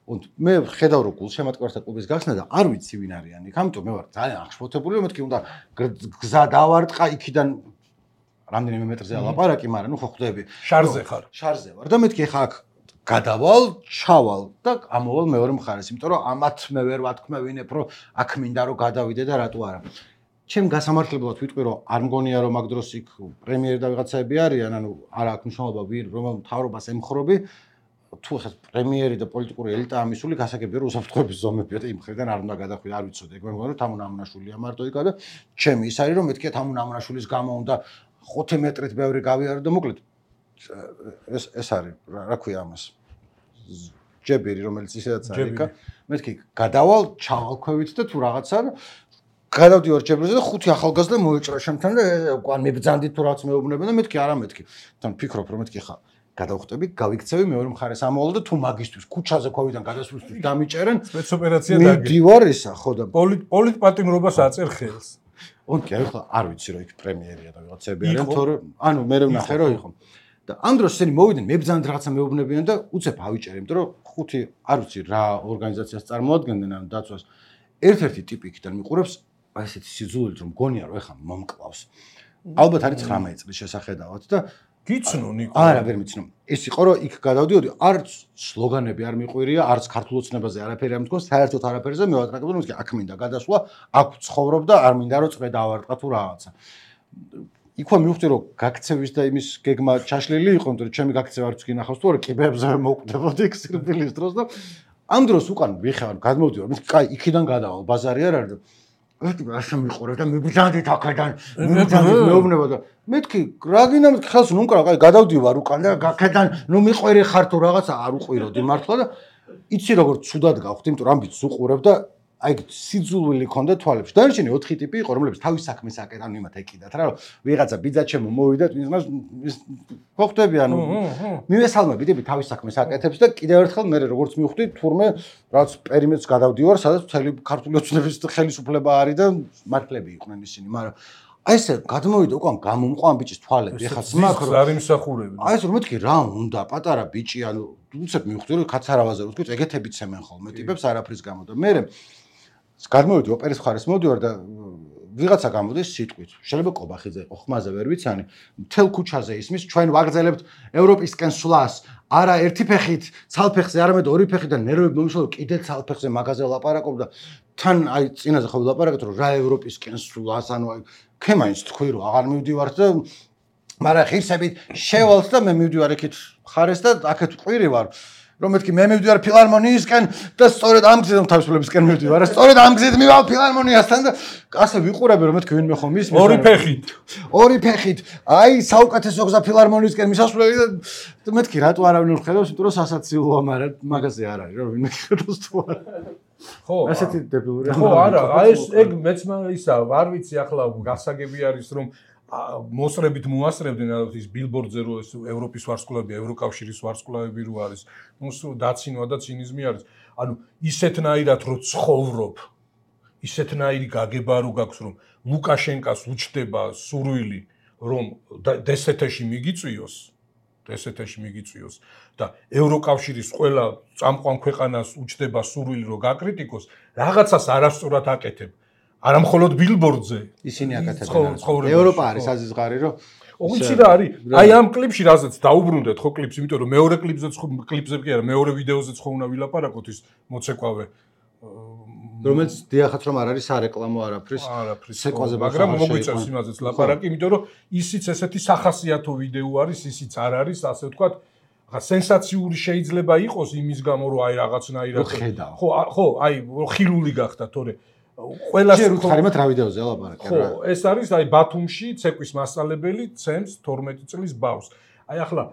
Speaker 2: მე ხედავ რომ გულშემატკივრთა კლუბის გახსნა და არ ვიცი ვინ არიან იქ, ამიტომ მე ვარ ძალიან აღშფოთებული, მეთქი უნდა გზა დავარტყა იქიდან რამდენიმე მეტრზე ალაპარაკი, მაგრამ ნუ ხო ხვდები.
Speaker 3: შარზე ხარ.
Speaker 2: შარზე ვარ და მეთქი ხა აქ გადავალ, ჩავალ და ამოვალ მეორე მხარეს, იმიტომ რომ ამათ მე ვერ ვათქმევინებ, რომ აქ მინდა რომ გადავიდე და რატო არა. ჩემ გასამართლებლად ვიტყვი რომ არ მგონია რომ მაგ დროს იქ პრემიერი და ვიღაცაები არიან, ანუ არა აქვს მნიშვნელობა ვინ რომელ მთავრობას ემხრობი. თუ ხა პრემიერი და პოლიტიკური ელიტა ამისული გასაგებია რომ უსაფრთხოების ზომებია და იმ ხრიდან არ უნდა გადახვიდე, არ ვიცოდი, ეგ მე მგონია რომ თამუნ ამონაშვილია მარტო იქა და ჩემი ის არის რომ მეთქია თამუნ ამონაშვილის გამო უნდა 5 მეტრით ბევრი გავიარო და მოკლედ ეს არის რა ქვია ამას ჯებირი რომელიც ისედაც არის იქა მეთქი გადავალ ჩავალ ქვევით და თუ რაღაცა გადავდივარ ჯებრზე და 5 ახალგაზრდა მოეჭრა შემთან და უკან მიბძანდით თუ რაც მეუბნებენ და მეთქი არა მეთქი თან ფიქრობ რომ მეთქი ხა გადავხვდები გავიქცევი მეორე მხარეს ამოვალ და თუ მაგისტვის ქუჩაზე ყვავიდან გადასვლისთვის დამიჭერენ
Speaker 3: სპეცოპერაცია დაგე
Speaker 2: მიდივარ ისა ხო და
Speaker 3: პოლიტპატიმრობას აწერ ხელს
Speaker 2: ონკი ახლა არ ვიცი რომ იქ პრემიერია და ვიღაცები არიან თორემ ანუ მე ვნახე რომ იყო და ამ დროს ესენი მოვიდნენ მებძანდ რაღაცა მეუბნებიან და უცებ ავიჭერე იმიტომ რომ 5 არ ვიცი რა ორგანიზაციას წარმოადგენდნენ ან დაცვას ერთ-ერთი ტიპი იქიდან მიყურებს აი ესეთი სიძულვით რომ გონია რომ ეხა მომკლავს ალბათ არის 19 წლის შესახედავად და
Speaker 3: გიცნო ნიკო
Speaker 2: არა ვერ მიცნო ეს იყო რომ იქ გადავდიოდი არც სლოგანები არ მიყვირია არც ქართულ ოცნებაზე არაფერი არ მithქოს საერთოდ არაფერზე მე ვატრაკებდი რომ აქ მინდა გადასვლა აქ ცხოვრობ და არ მინდა რომ წვე დავარტყა თუ რაღაცა იქ მივხვდი რომ გაქცევის და იმის გეგმა ჩაშლილი იყო იმიტომ რომ ჩემი გაქცევა არც გინახავს თუ არა კიბებზე მოვკვდებოდი იქ სირბილის დროს და ამ დროს უკან ვიხარ გადმოვდივარ მე კაი იქიდან გადავალ ბაზარი არ არის და ერთი ასე მიყურებ და მიბძანდით აქედან მიბძანდით მეუბნება და მეთქი რა გინდა მეთქი ხელს ნუ უკრავ კაი გადავდივარ უკან და აქედან ნუ მიყვერი ხარ თუ რაღაცა არ უყვიროდი მართლა და იცი როგორ ცუდად გავხდი იმიტომ რომ ამბიც უყურებ და აი სიძულვილი ქონდა თვალებში დანარჩენი 4 ტიპი იყო რომლებიც თავის საქმეს აკეთებდნენ იმათ ეკიდათ რა რომ ვიღაცა ბიძა ჩემო მოვიდა თვითონაც ხოხტები ანუ მივესალმები თავის საქმეს აკეთებს და კიდევ ერთხელ მე როგორც მივხვდი თურმე რაც პერიმეტრს გადავდივარ სადაც მთელი ქართული ოცნების ხელისუფლება არის და მართლები იყვნენ ისინი მაგრამ აი ესე გადმოვიდა უკან გამომყვა ამ ბიჭის თვალები ეხა
Speaker 3: სმაქრო არ იმსახურებენ
Speaker 2: აი ეს რომ მეთქი რა უნდა პატარა ბიჭი ანუ უცებ მივხვდი რომ კაცარავაზე რო თქვით ეგეთები ცემენ ხოლმე ტიპებს არაფრის გამო და მე გადმოვიდი ოპერის მხარეს მოვდივარ და ვიღაცა გამოდის სიტყვით შეიძლება კობახიძე იყო ხმაზე ვერ ვიცანი მთელ ქუჩაზე ისმის ჩვენ ვაგრძელებთ ევროპისკენ სვლას არა ერთი ფეხით ცალფეხზე არამედ ორი ფეხით და ნერვები მომიშალო კიდე ცალფეხზე მაგაზე ლაპარაკობ და თან აი წინაზე ხო ვილაპარაკეთ რომ რა ევროპისკენ სვლას ანუ აი ქემაინს თქვი რომ აღარ მივდივართ და მაგრამ ღირსებით შევალთ და მე მივდივარ იქით ხარეს და აქეთ ყვირი ვარ რომ მეთქი მე მივდივარ ფილარმონიისკენ და სწორედ ამ გზით თავისუფლებისკენ მივდივარ სწორედ ამ გზით მივალ ფილარმონიასთან და ასე ვიყურები რომ მეთქი ვინმე ხომ ის ორი ფეხით აი საუკეთესო გზა ფილარმონიისკენ მისასვლელი და მეთქი რატო არავინ არ ხედავს იმიტომ რომ სასაცილოა მაგრამ მაგაზე არ არის რომ ვინმე ხედავს თუ არა ხო ასეთი დებილური
Speaker 3: ხო არა აი ეს ეგ მეც ისა არ ვიცი ახლა გასაგები არის რომ მოსრებით მოასწრებდნენ ის ბილბორდზე რო ეს ევროპის ვარსკვლავები, ევროკავშირის ვარსკვლავები რო არის, ნუ დაცინვა და ცინიზმი არის. ანუ ისეთნაირად რო ცხოვრობ, ისეთნაირი გაგება რო გაქვს რომ ლუკაშენკას უჩდება სურვილი რომ დსთ-ში მიგიწვიოს და ევროკავშირის ყველა წამყვან ქვეყანას უჩდება სურვილი რომ გაკრიტიკოს, რაღაცას არასწორად აკეთებ. არა მხოლოდ ბილბორდზე
Speaker 2: ისინი აკეთებენ ევროპა არის აზიზღარი რომ
Speaker 3: ოღონდ რა არის აი ამ კლიპში რაზეც დაუბრუნდეთ ხო კლიპს იმიტომ რომ მეორე კლიპზე კი არა მეორე ვიდეოზეც ხო უნდა ვილაპარაკოთ ის მოცეკვავე
Speaker 2: რომელიც დიახაც რომ არ არის სარეკლამო არაფრის ცეკვაზე
Speaker 3: მაგრამ მოგვიწევს იმაზეც ლაპარაკი იმიტომ რომ ისიც ესეთი სახასიათო ვიდეო არის ისიც არ არის ასე ვთქვათ ხა სენსაციური შეიძლება იყოს იმის გამო რომ აი რაღაცნაირად ხო აი ხილული გახდა თორე ყველას
Speaker 2: ხარიმად რა ვიდეოზე ლაპარაკი
Speaker 3: რა ხო ეს არის აი ბათუმში ცეკვის მასწავლებელი ცემს 12 წლის ბავშვს აი ახლა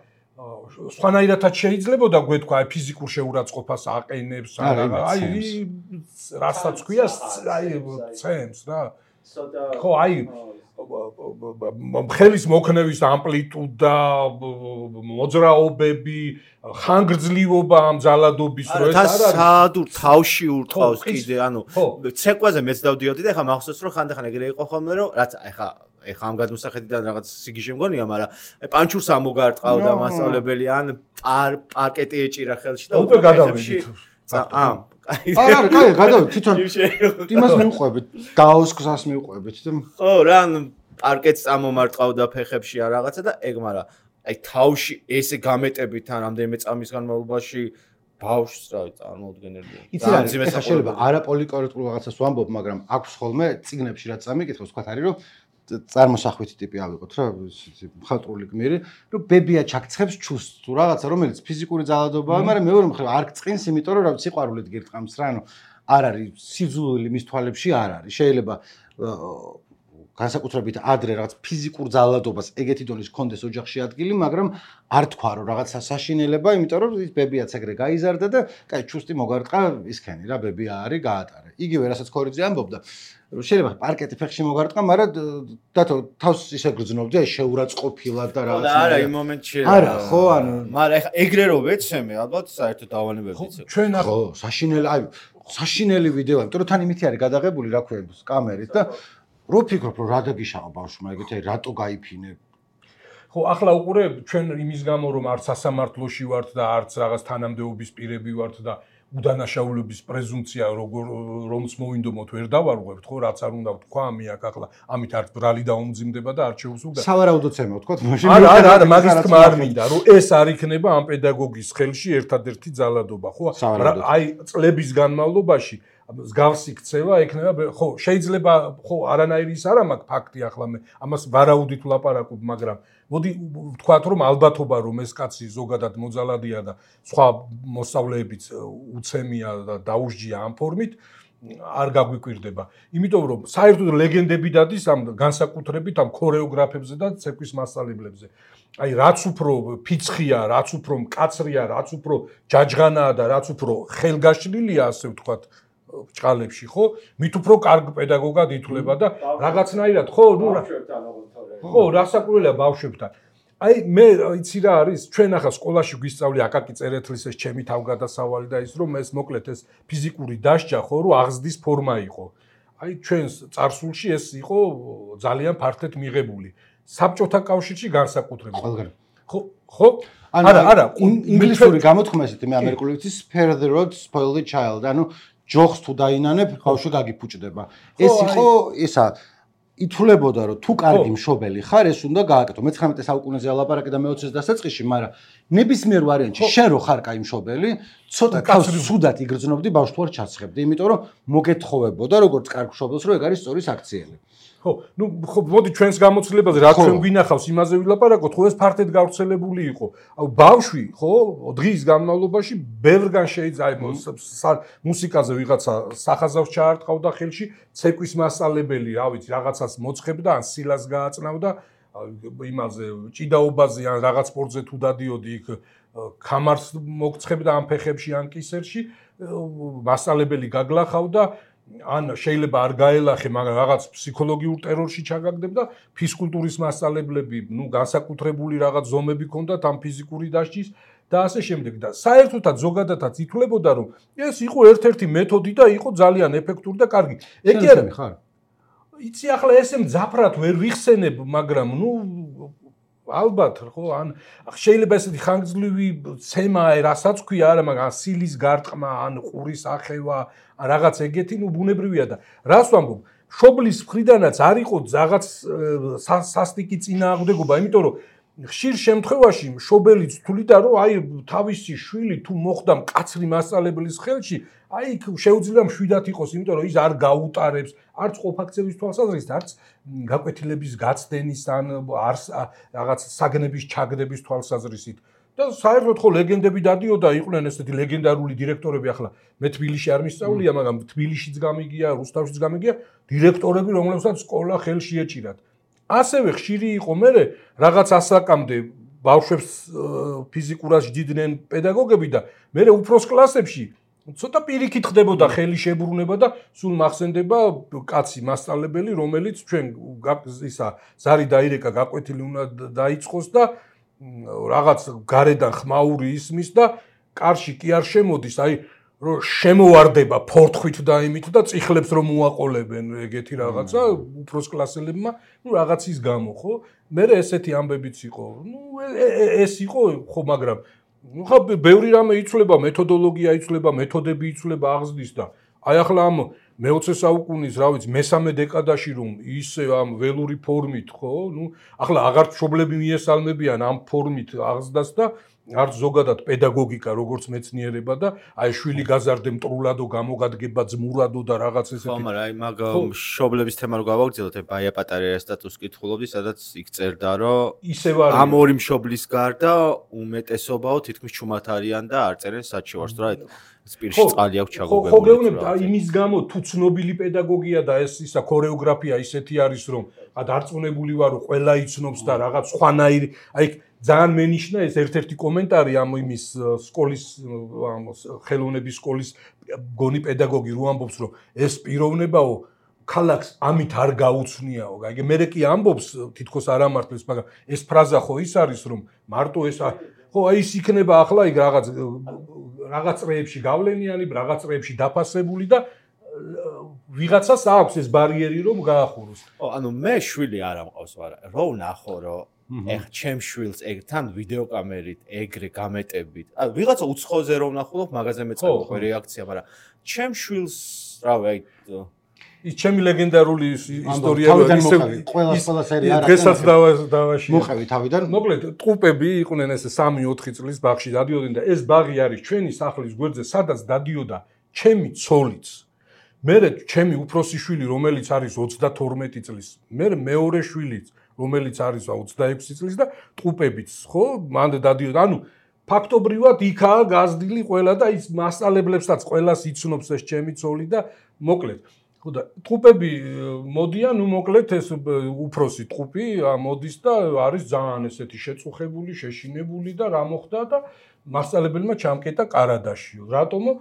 Speaker 3: სხვანაირადაც შეიძლებოდა გვეთქვა აი ფიზიკურ შეურაცხყოფას აყენებს აი რასაც ქვია აი ცემს რა ხო აი ხელის მოქნევის ამპლიტუდა, მოძრაობები, ხანგრძლივობა ამ ძალადობის
Speaker 1: რო ეს არის საადურ თავში ურტყავს კიდე, ანუ ცეკვაზე მეც დავდიოდი და ეხლა მახსოვს რომ ხანდახან ეგრე იყო ხოლმე რომ რაც ეხლა ამ გადმოსახედიდან რაღაც სიგიჟე მგონია, მაგრამ პანჩურს ამოგარტყავდა მასწავლებელი ან პარკეტი ეჭირა ხელში და
Speaker 3: უკვე გადავიდით.
Speaker 2: არა, გადავიდით თვითონ იმას მივყვებით, დაოს გზას მივყვებით და
Speaker 1: ხო რა, ანუ პარკეტს ამომარტყავდა ფეხებში ან რაღაცა და ეგ, მაგრამ აი თავში ესე გამეტებით ან რამდენიმე წამის განმავლობაში ბავშვს რა წარმოუდგენელია.
Speaker 2: იცი რა, ეხლა შეიძლება არაპოლიკორექტულ რაღაცას ვამბობ, მაგრამ აქვს ხოლმე წიგნებში რაც წამიკითხავს, თქვა არის რომ წარმოსახვითი ტიპი ავიღოთ რა, მხატვრული გმირი, რომ ბებია ჩაქცხებს ჩუს თუ რაღაცა, რომელიც ფიზიკური ძალადობაა, მაგრამ მეორე მხრივ არ გწყინს, იმიტომ რომ რა ვიცი, სიყვარულით გირტყამს რა, ანუ არ არის სიძულვილი მის თვალებში არ არის. შეიძლება განსაკუთრებით ადრე რაღაც ფიზიკურ ძალადობას ეგეთი დონის კონდეს ოჯახში ადგილი, მაგრამ არ თქვა რომ რაღაცა საშინელება, იმიტომ რომ ის ბებიაც ეგრე გაიზარდა და კაი ჩუსტი მოგარტყა ისქენი რა, ბებია არის, გაატარა. იგივე რასაც ქორიძე ამბობდა, შეიძლება პარკეტი ფეხში მოგარტყა, მაგრამ დათო თავს ისე გრძნობდი, აი შეურაცხყოფილად და რაღაცა.
Speaker 1: არა, იმ მომენტში
Speaker 2: არა, ხო, ანუ
Speaker 1: მაგრამ ეხა ეგრე რო ვეცემე, ალბათ საერთოდ დავანებებიც.
Speaker 3: ჩვენ
Speaker 2: ხო, საშინელი ვიდეო, იმიტომ რომ თან იმითი არის გადაღებული რა ქვია კამერით და რო ფიქრობ რომ რა დაგიშავა ბავშვმა, ეგეთი აი რატო გაიფინე.
Speaker 3: ხო, ახლა უყურე ჩვენ იმის გამო რომ არც სასამართლოში ვართ და არც რაღაც თანამდებობის პირები ვართ და უდანაშაულობის პრეზუმპცია რომც მოვინდომოთ ვერ დავარღვევთ, ხო, რაც არ უნდა ვთქვა ამიაკ ახლა ამით არც ბრალი დაუმძიმდება და არჩეულს უნდა.
Speaker 2: სავარაუდოდ ემო ვთქვა, მაშინ
Speaker 3: არა, მაგის თქმა არ მინდა, რომ ეს არ იქნება ამ პედაგოგის ხელში ერთადერთი ძალადობა, ხო? აი წლების განმავლობაში მსგავსი ქცევა ექნება, ხო, შეიძლება ხო არანაირი ის არ მაქვს ფაქტი ახლა მე ამას ვარაუდით ვლაპარაკობ, მაგრამ მოდი ვთქვათ რომ ალბათობა რომ ეს კაცი ზოგადად მოძალადია და სხვა მოსწავლეებიც უცემია და დაუსჯია ამ ფორმით არ გაგვიკვირდება. იმიტომ რომ საერთოდ ლეგენდები დადის ამ განსაკუთრებით ამ ქორეოგრაფებზე და ცეკვის მასწავლებლებზე. აი რაც უფრო ფიცხია, რაც უფრო მკაცრია, რაც უფრო ჯაჯღანაა და რაც უფრო ხელგაშლილია, ასე ვთქვათ, ჭყალებში, ხო? მით უფრო კარგ პედაგოგად ითვლება და რაღაცნაირად, ხო, ნუ ხო, რასაკვირველია ბავშვებთან. აი მე იცი რა არის, ჩვენ ახლა სკოლაში გვისწავლი აკაკი წერეთლის ეს ჩემი თავგადასავალი და ის რომ ეს მოკლედ ეს ფიზიკური დასჯა, ხო, რომ აღზრდის ფორმა იყო. აი ჩვენს წარსულში ეს იყო ძალიან ფართედ მიღებული. საბჭოთა კავშირში განსაკუთრებით. ხო, ხო? არა,
Speaker 2: ინგლისური გამოთქმა ესეთი მე ამერიკული ვიცი spare the rod spoil the child, ანუ ჯოხს თუ დაინანებ, ბავშვი გაგიფუჭდება. ეს იყო ისა ითვლებოდა რომ თუ კარგი მშობელი ხარ, ეს უნდა გააკეთო. მე-19 საუკუნეზე ალაპარაკე და მე-20-ს დასაწყისში, მაგრამ ნებისმიერ ვარიანტში შენ რო ხარ კაი მშობელი, ცოტა თავს სუდად იგრძნობდი ბავშვს თუ არ ჩაცხებდი, იმიტომ რომ მოგეთხოვებოდა როგორც კარგ მშობელს, რომ ეგ არის სწორი საქციელი.
Speaker 3: ხო, ნუ ხო, მოდი ჩვენს გამოცდილებაზე რა ჩვენ გვინახავს, იმაზე ვილაპარაკოთ, ხო ეს ფართედ გავრცელებული იყო. აუ ბავშვი, ხო, დღის განმავლობაში ბევრგან შეიძლება მუსიკაზე ვიღაცა სახაზავს ჩაარტყავდა ხელში, ცეკვის მასწავლებელი, რა ვიცი, რაღაცას მოწხებდა, ან სილას გააწნავდა, იმაზე ჭიდაობაზე ან რაღაც სპორტზე თუ დადიოდი, იქ კამარს მოგწხებდა ამ ფეხებში ან კისერში, მასწავლებელი გაგლახავდა ან შეიძლება არ გაელახე, მაგრამ რაღაც ფსიქოლოგიურ ტერორში ჩაგაგდებდა, ფიზკულტურის მასწავლებლები, ნუ განსაკუთრებული რაღაც ზომები ჰქონდათ ამ ფიზიკური დასჯის და ასე შემდეგ და საერთოდაც ზოგადადაც ითვლებოდა რომ ეს იყო ერთ-ერთი მეთოდი და იყო ძალიან ეფექტური და კარგი.
Speaker 2: ეგ არის ხარ.
Speaker 3: იცი ახლა ესე მძაფრად ვერ ვიხსენებ, მაგრამ ნუ ალბათ ხო ან შეიძლება ესეთი ხანგრძლივი ცემა რასაც ქვია არა, მაგრამ სილის გარტყმა ან ყურის ახევა რაღაც ეგეთი ნუ ბუნებრივია და რას ვამბობ მშობლის მხრიდანაც არ იყო რაღაც სასტიკი წინააღმდეგობა, იმიტომ რომ ხშირ შემთხვევაში მშობელი თვლიდა რომ აი თავისი შვილი თუ მოხდა მკაცრი მასწავლებლის ხელში, აი შეუძლია მშვიდად იყოს, იმიტომ რომ ის არ გაუტარებს არც ყოფაქცევის თვალსაზრისით, არც გაკვეთილების გაცდენის ან რაღაც საგნების ჩაგდების თვალსაზრისით. და საერთოდ ხო ლეგენდები დადიოდა, იყვნენ ესეთი ლეგენდარული დირექტორები, ახლა მე თბილისში არ მისწავლია, მაგრამ თბილისშიც გამიგია, რუსთავშიც გამიგია, დირექტორები, რომლებსაც სკოლა ხელში ეჭირათ. ასევე ხშირი იყო მე რაღაც ასაკამდე ბავშვებს ფიზიკურად ჯდიდნენ პედაგოგები და მე უფროს კლასებში ცოტა პირიქით ხდებოდა ხელი შებრუნება და სულ მახსენდება კაცი მასწავლებელი, რომელიც ჩვენ ისა ზარი დაირეკა გაკვეთილი უნდა დაიწყოს და რაღაც გარედან ხმაური ისმის და კარში კი არ შემოდის, აი რომ შემოვარდება ფორთხით და იმით და წიხლებს რომ უაყოლებენ ეგეთი რაღაცა უფროს კლასელებმა, რაღაცის გამო, ხო? მე ესეთი ამბებიც იყო. ეს იყო, ხო, მაგრამ ხა ბევრი რამე იცვლება, მეთოდოლოგია იცვლება, მეთოდები იცვლება აღზრდის და აი ახლა ამ მე-20 საუკუნის, რა ვიცი, მესამე დეკადაში რომ ისე ამ ველური ფორმით, ხო? ახლა აღარ მშობლები მიესალმებიან ამ ფორმით აღზრდას და არც ზოგადად პედაგოგიკა როგორც მეცნიერება და აი შვილი გაზარდე მტრულადო გამოგადგება ძმურადო და რაღაც ესეთი.
Speaker 1: ხო, მაგრამ აი მაგ მშობლების თემა რო გავაგრძელოთ, აი ბაია პატარია სტატუს კითხულობდი, სადაც იქ წერდა, რომ ამ ორი მშობლის გარდა უმეტესობაო თითქმის ჩუმად არიან და არ წერენ საჩივარს, რა სპირში წყალი აქვს ჩაგუგებული.
Speaker 3: ხო, გეუბნებით, აი იმის გამო თუ ცნობილი პედაგოგია და ეს ისა ქორეოგრაფია ისეთი არის, რომ დარწმუნებული ვარ, რომ ყველა იცნობს და რაღაც სხვანაირი, აი ძალიან მენიშნა ეს ერთ-ერთი კომენტარი ამ იმის სკოლის ხელოვნების სკოლის გონი პედაგოგი რო ამბობს, რომ ეს პიროვნებაო ქალაქს ამით არ გაუცნიაო. აი მე კი ამბობს თითქოს არ ამართლებს, მაგრამ ეს ფრაზა ხო ის არის, რომ მარტო ეს ხო აი ის იქნება ახლა იქ რაღაც წრეებში გავლენიანი, რაღაც წრეებში დაფასებული და ვიღაცას აქვს ეს ბარიერი რომ გაახუროს.
Speaker 1: ხო, ანუ მე შვილი არ ამყავს, მაგრამ რო ვნახო, რომ ეხ ჩემ შვილს ეგთან ვიდეოკამერით ეგრე გამეტებით. ანუ ვიღაცა უცხოზე რომ ვნახულობ, მაგაზე მეწყობა რეაქცია, მაგრამ ჩემ შვილს, რავი, აი
Speaker 3: ის ჩემი ლეგენდარული ისტორია
Speaker 2: ყველა სერია არა.
Speaker 3: დღესაც დავაში.
Speaker 2: მოყევი თავიდან.
Speaker 3: მოკლედ, ტყუპები იყვნენ ესე 3-4 წლის ბაღში დადიოდნენ და ეს ბაღი არის ჩვენი სახლის გვერდზე, სადაც დადიოდა ჩემი ცოლიც. მე ჩემი უფროსი შვილი, რომელიც არის 32 წლის, მე მეორე შვილიც, რომელიც არის 26 წლის და ტყუპებიც, ხო? მანდ დადიოდა. ანუ ფაქტობრივად იქაა გაზრდილი ყველა და ის მასწავლებლებსაც ყველას იცნობს ეს ჩემი ცოლი და მოკლედ ხო და ტყუპები მოდიან, მოკლედ ეს უფროსი ტყუპი მოდის და არის ძალიან ესეთი შეწუხებული, შეშინებული და რა მოხდა და მასწავლებელმა ჩამკეტა კარადაშიო. რატომო?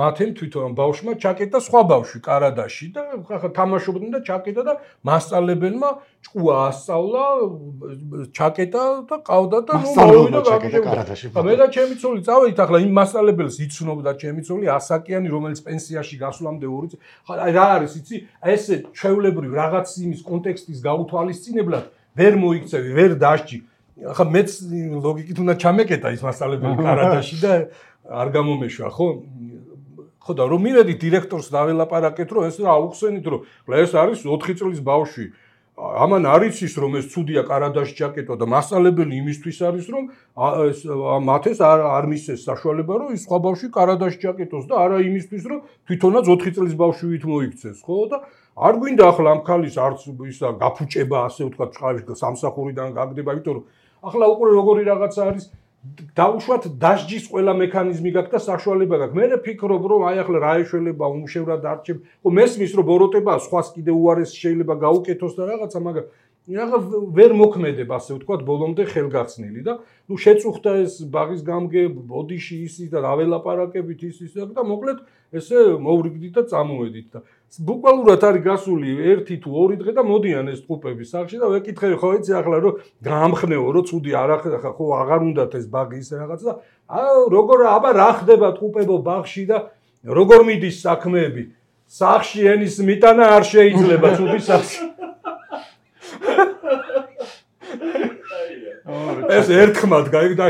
Speaker 3: მათემ თვითონ ბავშვმა ჩაკეტა სხვა ბავშვი კარადაში და ხა თამაშობდნენ და ჩაკეტა და მასწავლებელმა ჭკუა ასწავლა, ჩაკეტა და ყავდა და
Speaker 2: მოვიდა კარადაში.
Speaker 3: მე და ჩემი ცოლი წავედით ახლა იმ მასწავლებელს იცნობდა ჩემი ცოლი ასაკიანი, რომელიც პენსიაში გასვლამდე 2 წელი. ხა რა არის, იცი? ესე ჩვეულებრივ რაღაც იმის კონტექსტის გაუთვალისწინებლად ვერ მოიქცევი, ვერ დასჭი. ახლა მეც ლოგიკით უნდა ჩამეკეტა ის მასწავლებელი კარადაში და არ გამომეშვა, ხო? ხო და რომ მივედით დირექტორს დაველაპარაკეთ, რომ ეს რა აუხსენით, რომ ეს არის 4 წლის ბავშვი. ამან არ იცის, რომ ეს ცუდია კარადაში ჩაკეტვა და მასწავლებელი იმისთვის არის, რომ მათეს არ მისცეს საშუალება, რომ ის სხვა ბავშვი კარადაში ჩაკეტოს და არა იმისთვის, რომ თვითონაც 4 წლის ბავშვით მოიქცეს, ხო? და არ გვინდა ახლა ამ ქალის არც ისა გაფუჭება, ასე ვთქვათ, წყავში სამსახურიდან გაგდება, იმიტომ რომ ახლა უკვე როგორი რაღაცა არის დაუშვათ დასჯის ყველა მექანიზმი გაქვს და საშუალება გაქვს. მე ფიქრობ, რომ აი ახლა რა ეშველება უმშევრად არჩევ. ხო მესმის, რომ ბოროტება სხვას კიდე უარესი შეიძლება გაუკეთოს და რაღაცა, მაგრამ რაღაც ვერ მოქმედებ, ასე ვთქვათ, ბოლომდე ხელგაცნილი და ნუ შეწუხდა ეს ბაღის გამგე, ბოდიში ისი და რაველაპარაკებით ის და მოკლედ ესე მოვრიგდით და წამოვედით და ბუკვალურად არის გასული 1 თუ 2 დღე და მოდიან ეს ტყუპები სახში და ვეკითხები, ხო იცი ახლა რომ გაამხნეო, რომ ცუდი არ ახლა ხო აღარ უნდათ ეს ბაგი ისე რაღაც და როგორ აბა რა ხდება ტყუპებო ბაღში და როგორ მიდის საქმეები სახში ენის მიტანა არ შეიძლება ცუდი სახში ეს ერთხმად გაიგდა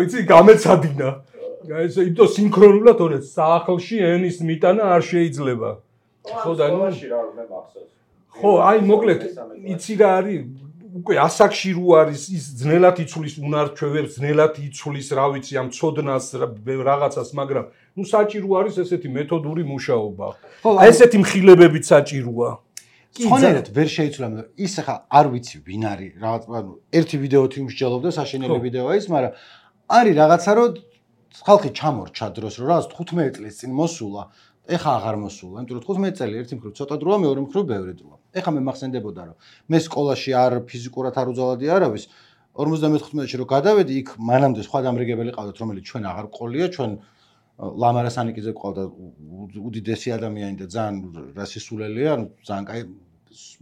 Speaker 3: იცი გამეცადინა ეს იმიტომ სინქრონულად ორე სახლში ენის მიტანა არ შეიძლება ხო და ნუ ხო აი მოკლედ იცი რა არის უკვე ასაკში რო არის ის ძნელად იცვლის უნარჩვევებს ძნელად იცვლის რა ვიცი ამ ცოდნას რაღაცას მაგრამ ნუ საჭირო არის ესეთი მეთოდური მუშაობა აი ესეთი მხილებებით საჭიროა
Speaker 2: ხონერად ვერ შეიცვლა ის ხა არ ვიცი ვინ არის რაღაც ანუ ერთი ვიდეოთი მსჯელობდა საშინელი ვიდეოა ის მაგრამ არის რაღაცა რომ ხალხი ჩამორჩა დროს რომ რაღაც 15 წლის წინ მოსულა ეხა აღარ მოსულა იმიტომ რომ 15 წელი ერთი მხრივ ცოტა დროა მეორე მხრივ ბევრი დროა ეხა მე მახსენდებოდა რომ მე სკოლაში არ ფიზიკურად არ უძალადი არავის 54-ში რომ გადავედი იქ მანამდე სხვა დამრიგებელი ყავდათ რომელიც ჩვენ აღარ ყოლია ჩვენ ლამარა სანიკიძე ყავდა უდიდესი ადამიანი და ძალიან რასისულელია, ანუ ძალიან კაი.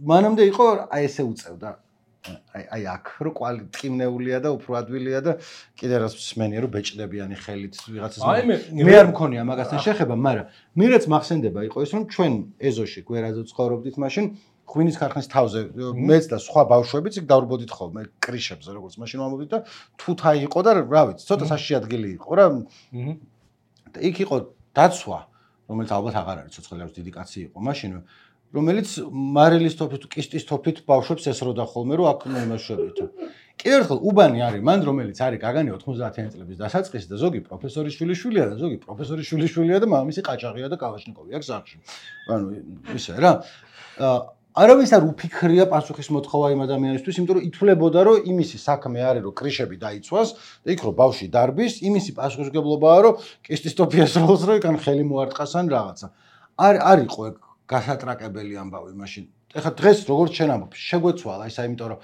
Speaker 2: მანამდე იყო აი ესე უწევდა. აი აქ რო კვალი ტკივნეულია და უფრო ადვილია და კიდე რას მსმენია რომ ბეჭდებიანი ხელით ვიღაცას. მე არ მქონია მაგასთან შეხება, მაგრამ მირეც მახსენდება იყო ის რომ ჩვენ ეზოში გვერაზე ცხოვრობდით მაშინ ღვინის ქარხნის თავზე მეც და სხვა ბავშვებიც იქ დავრბოდით ხოლმე კრიშებზე როგორც მაშინ ვამბობდით და თუთა იყო და რა ვიცი ცოტა საშიში ადგილი იყო რა და იქ იყო დაცვა რომელიც ალბათ აღარ არის ცოცხლებს დიდი კაცი იყო მაშინ რომელიც მარილის თოფით კისტის თოფით ბავშვებს ესროდა ხოლმე რომ აქ იმაშობით კიდევ ერთხელ უბანი არის მან რომელიც არის გაგანი 90-იანი წლების დასაწყისი და ზოგი პროფესორის შვილიშვილია და ზოგი პროფესორის შვილიშვილია და მამამისი ყაჭაღია და კალაშნიკოვი აქვს სახში ანუ ისე რა არავის არ უფიქრია პასუხის მოთხოვა იმ ადამიანისთვის, იმიტომ რომ ითვლებოდა რომ იმისი საქმე არის რომ კრიშები დაიცვას და იქ რომ ბავშვი დარბის, იმისი პასუხისმგებლობაა რომ კისტის ტოფიას როლს რო იქან ხელი მოარტყას ან რაღაცა. არ იყო გასატრაკებელი ამბავი მაშინ. ეხლა დღეს როგორც შენ ამბობ, შეგვეცვალა ისა, იმიტომ რომ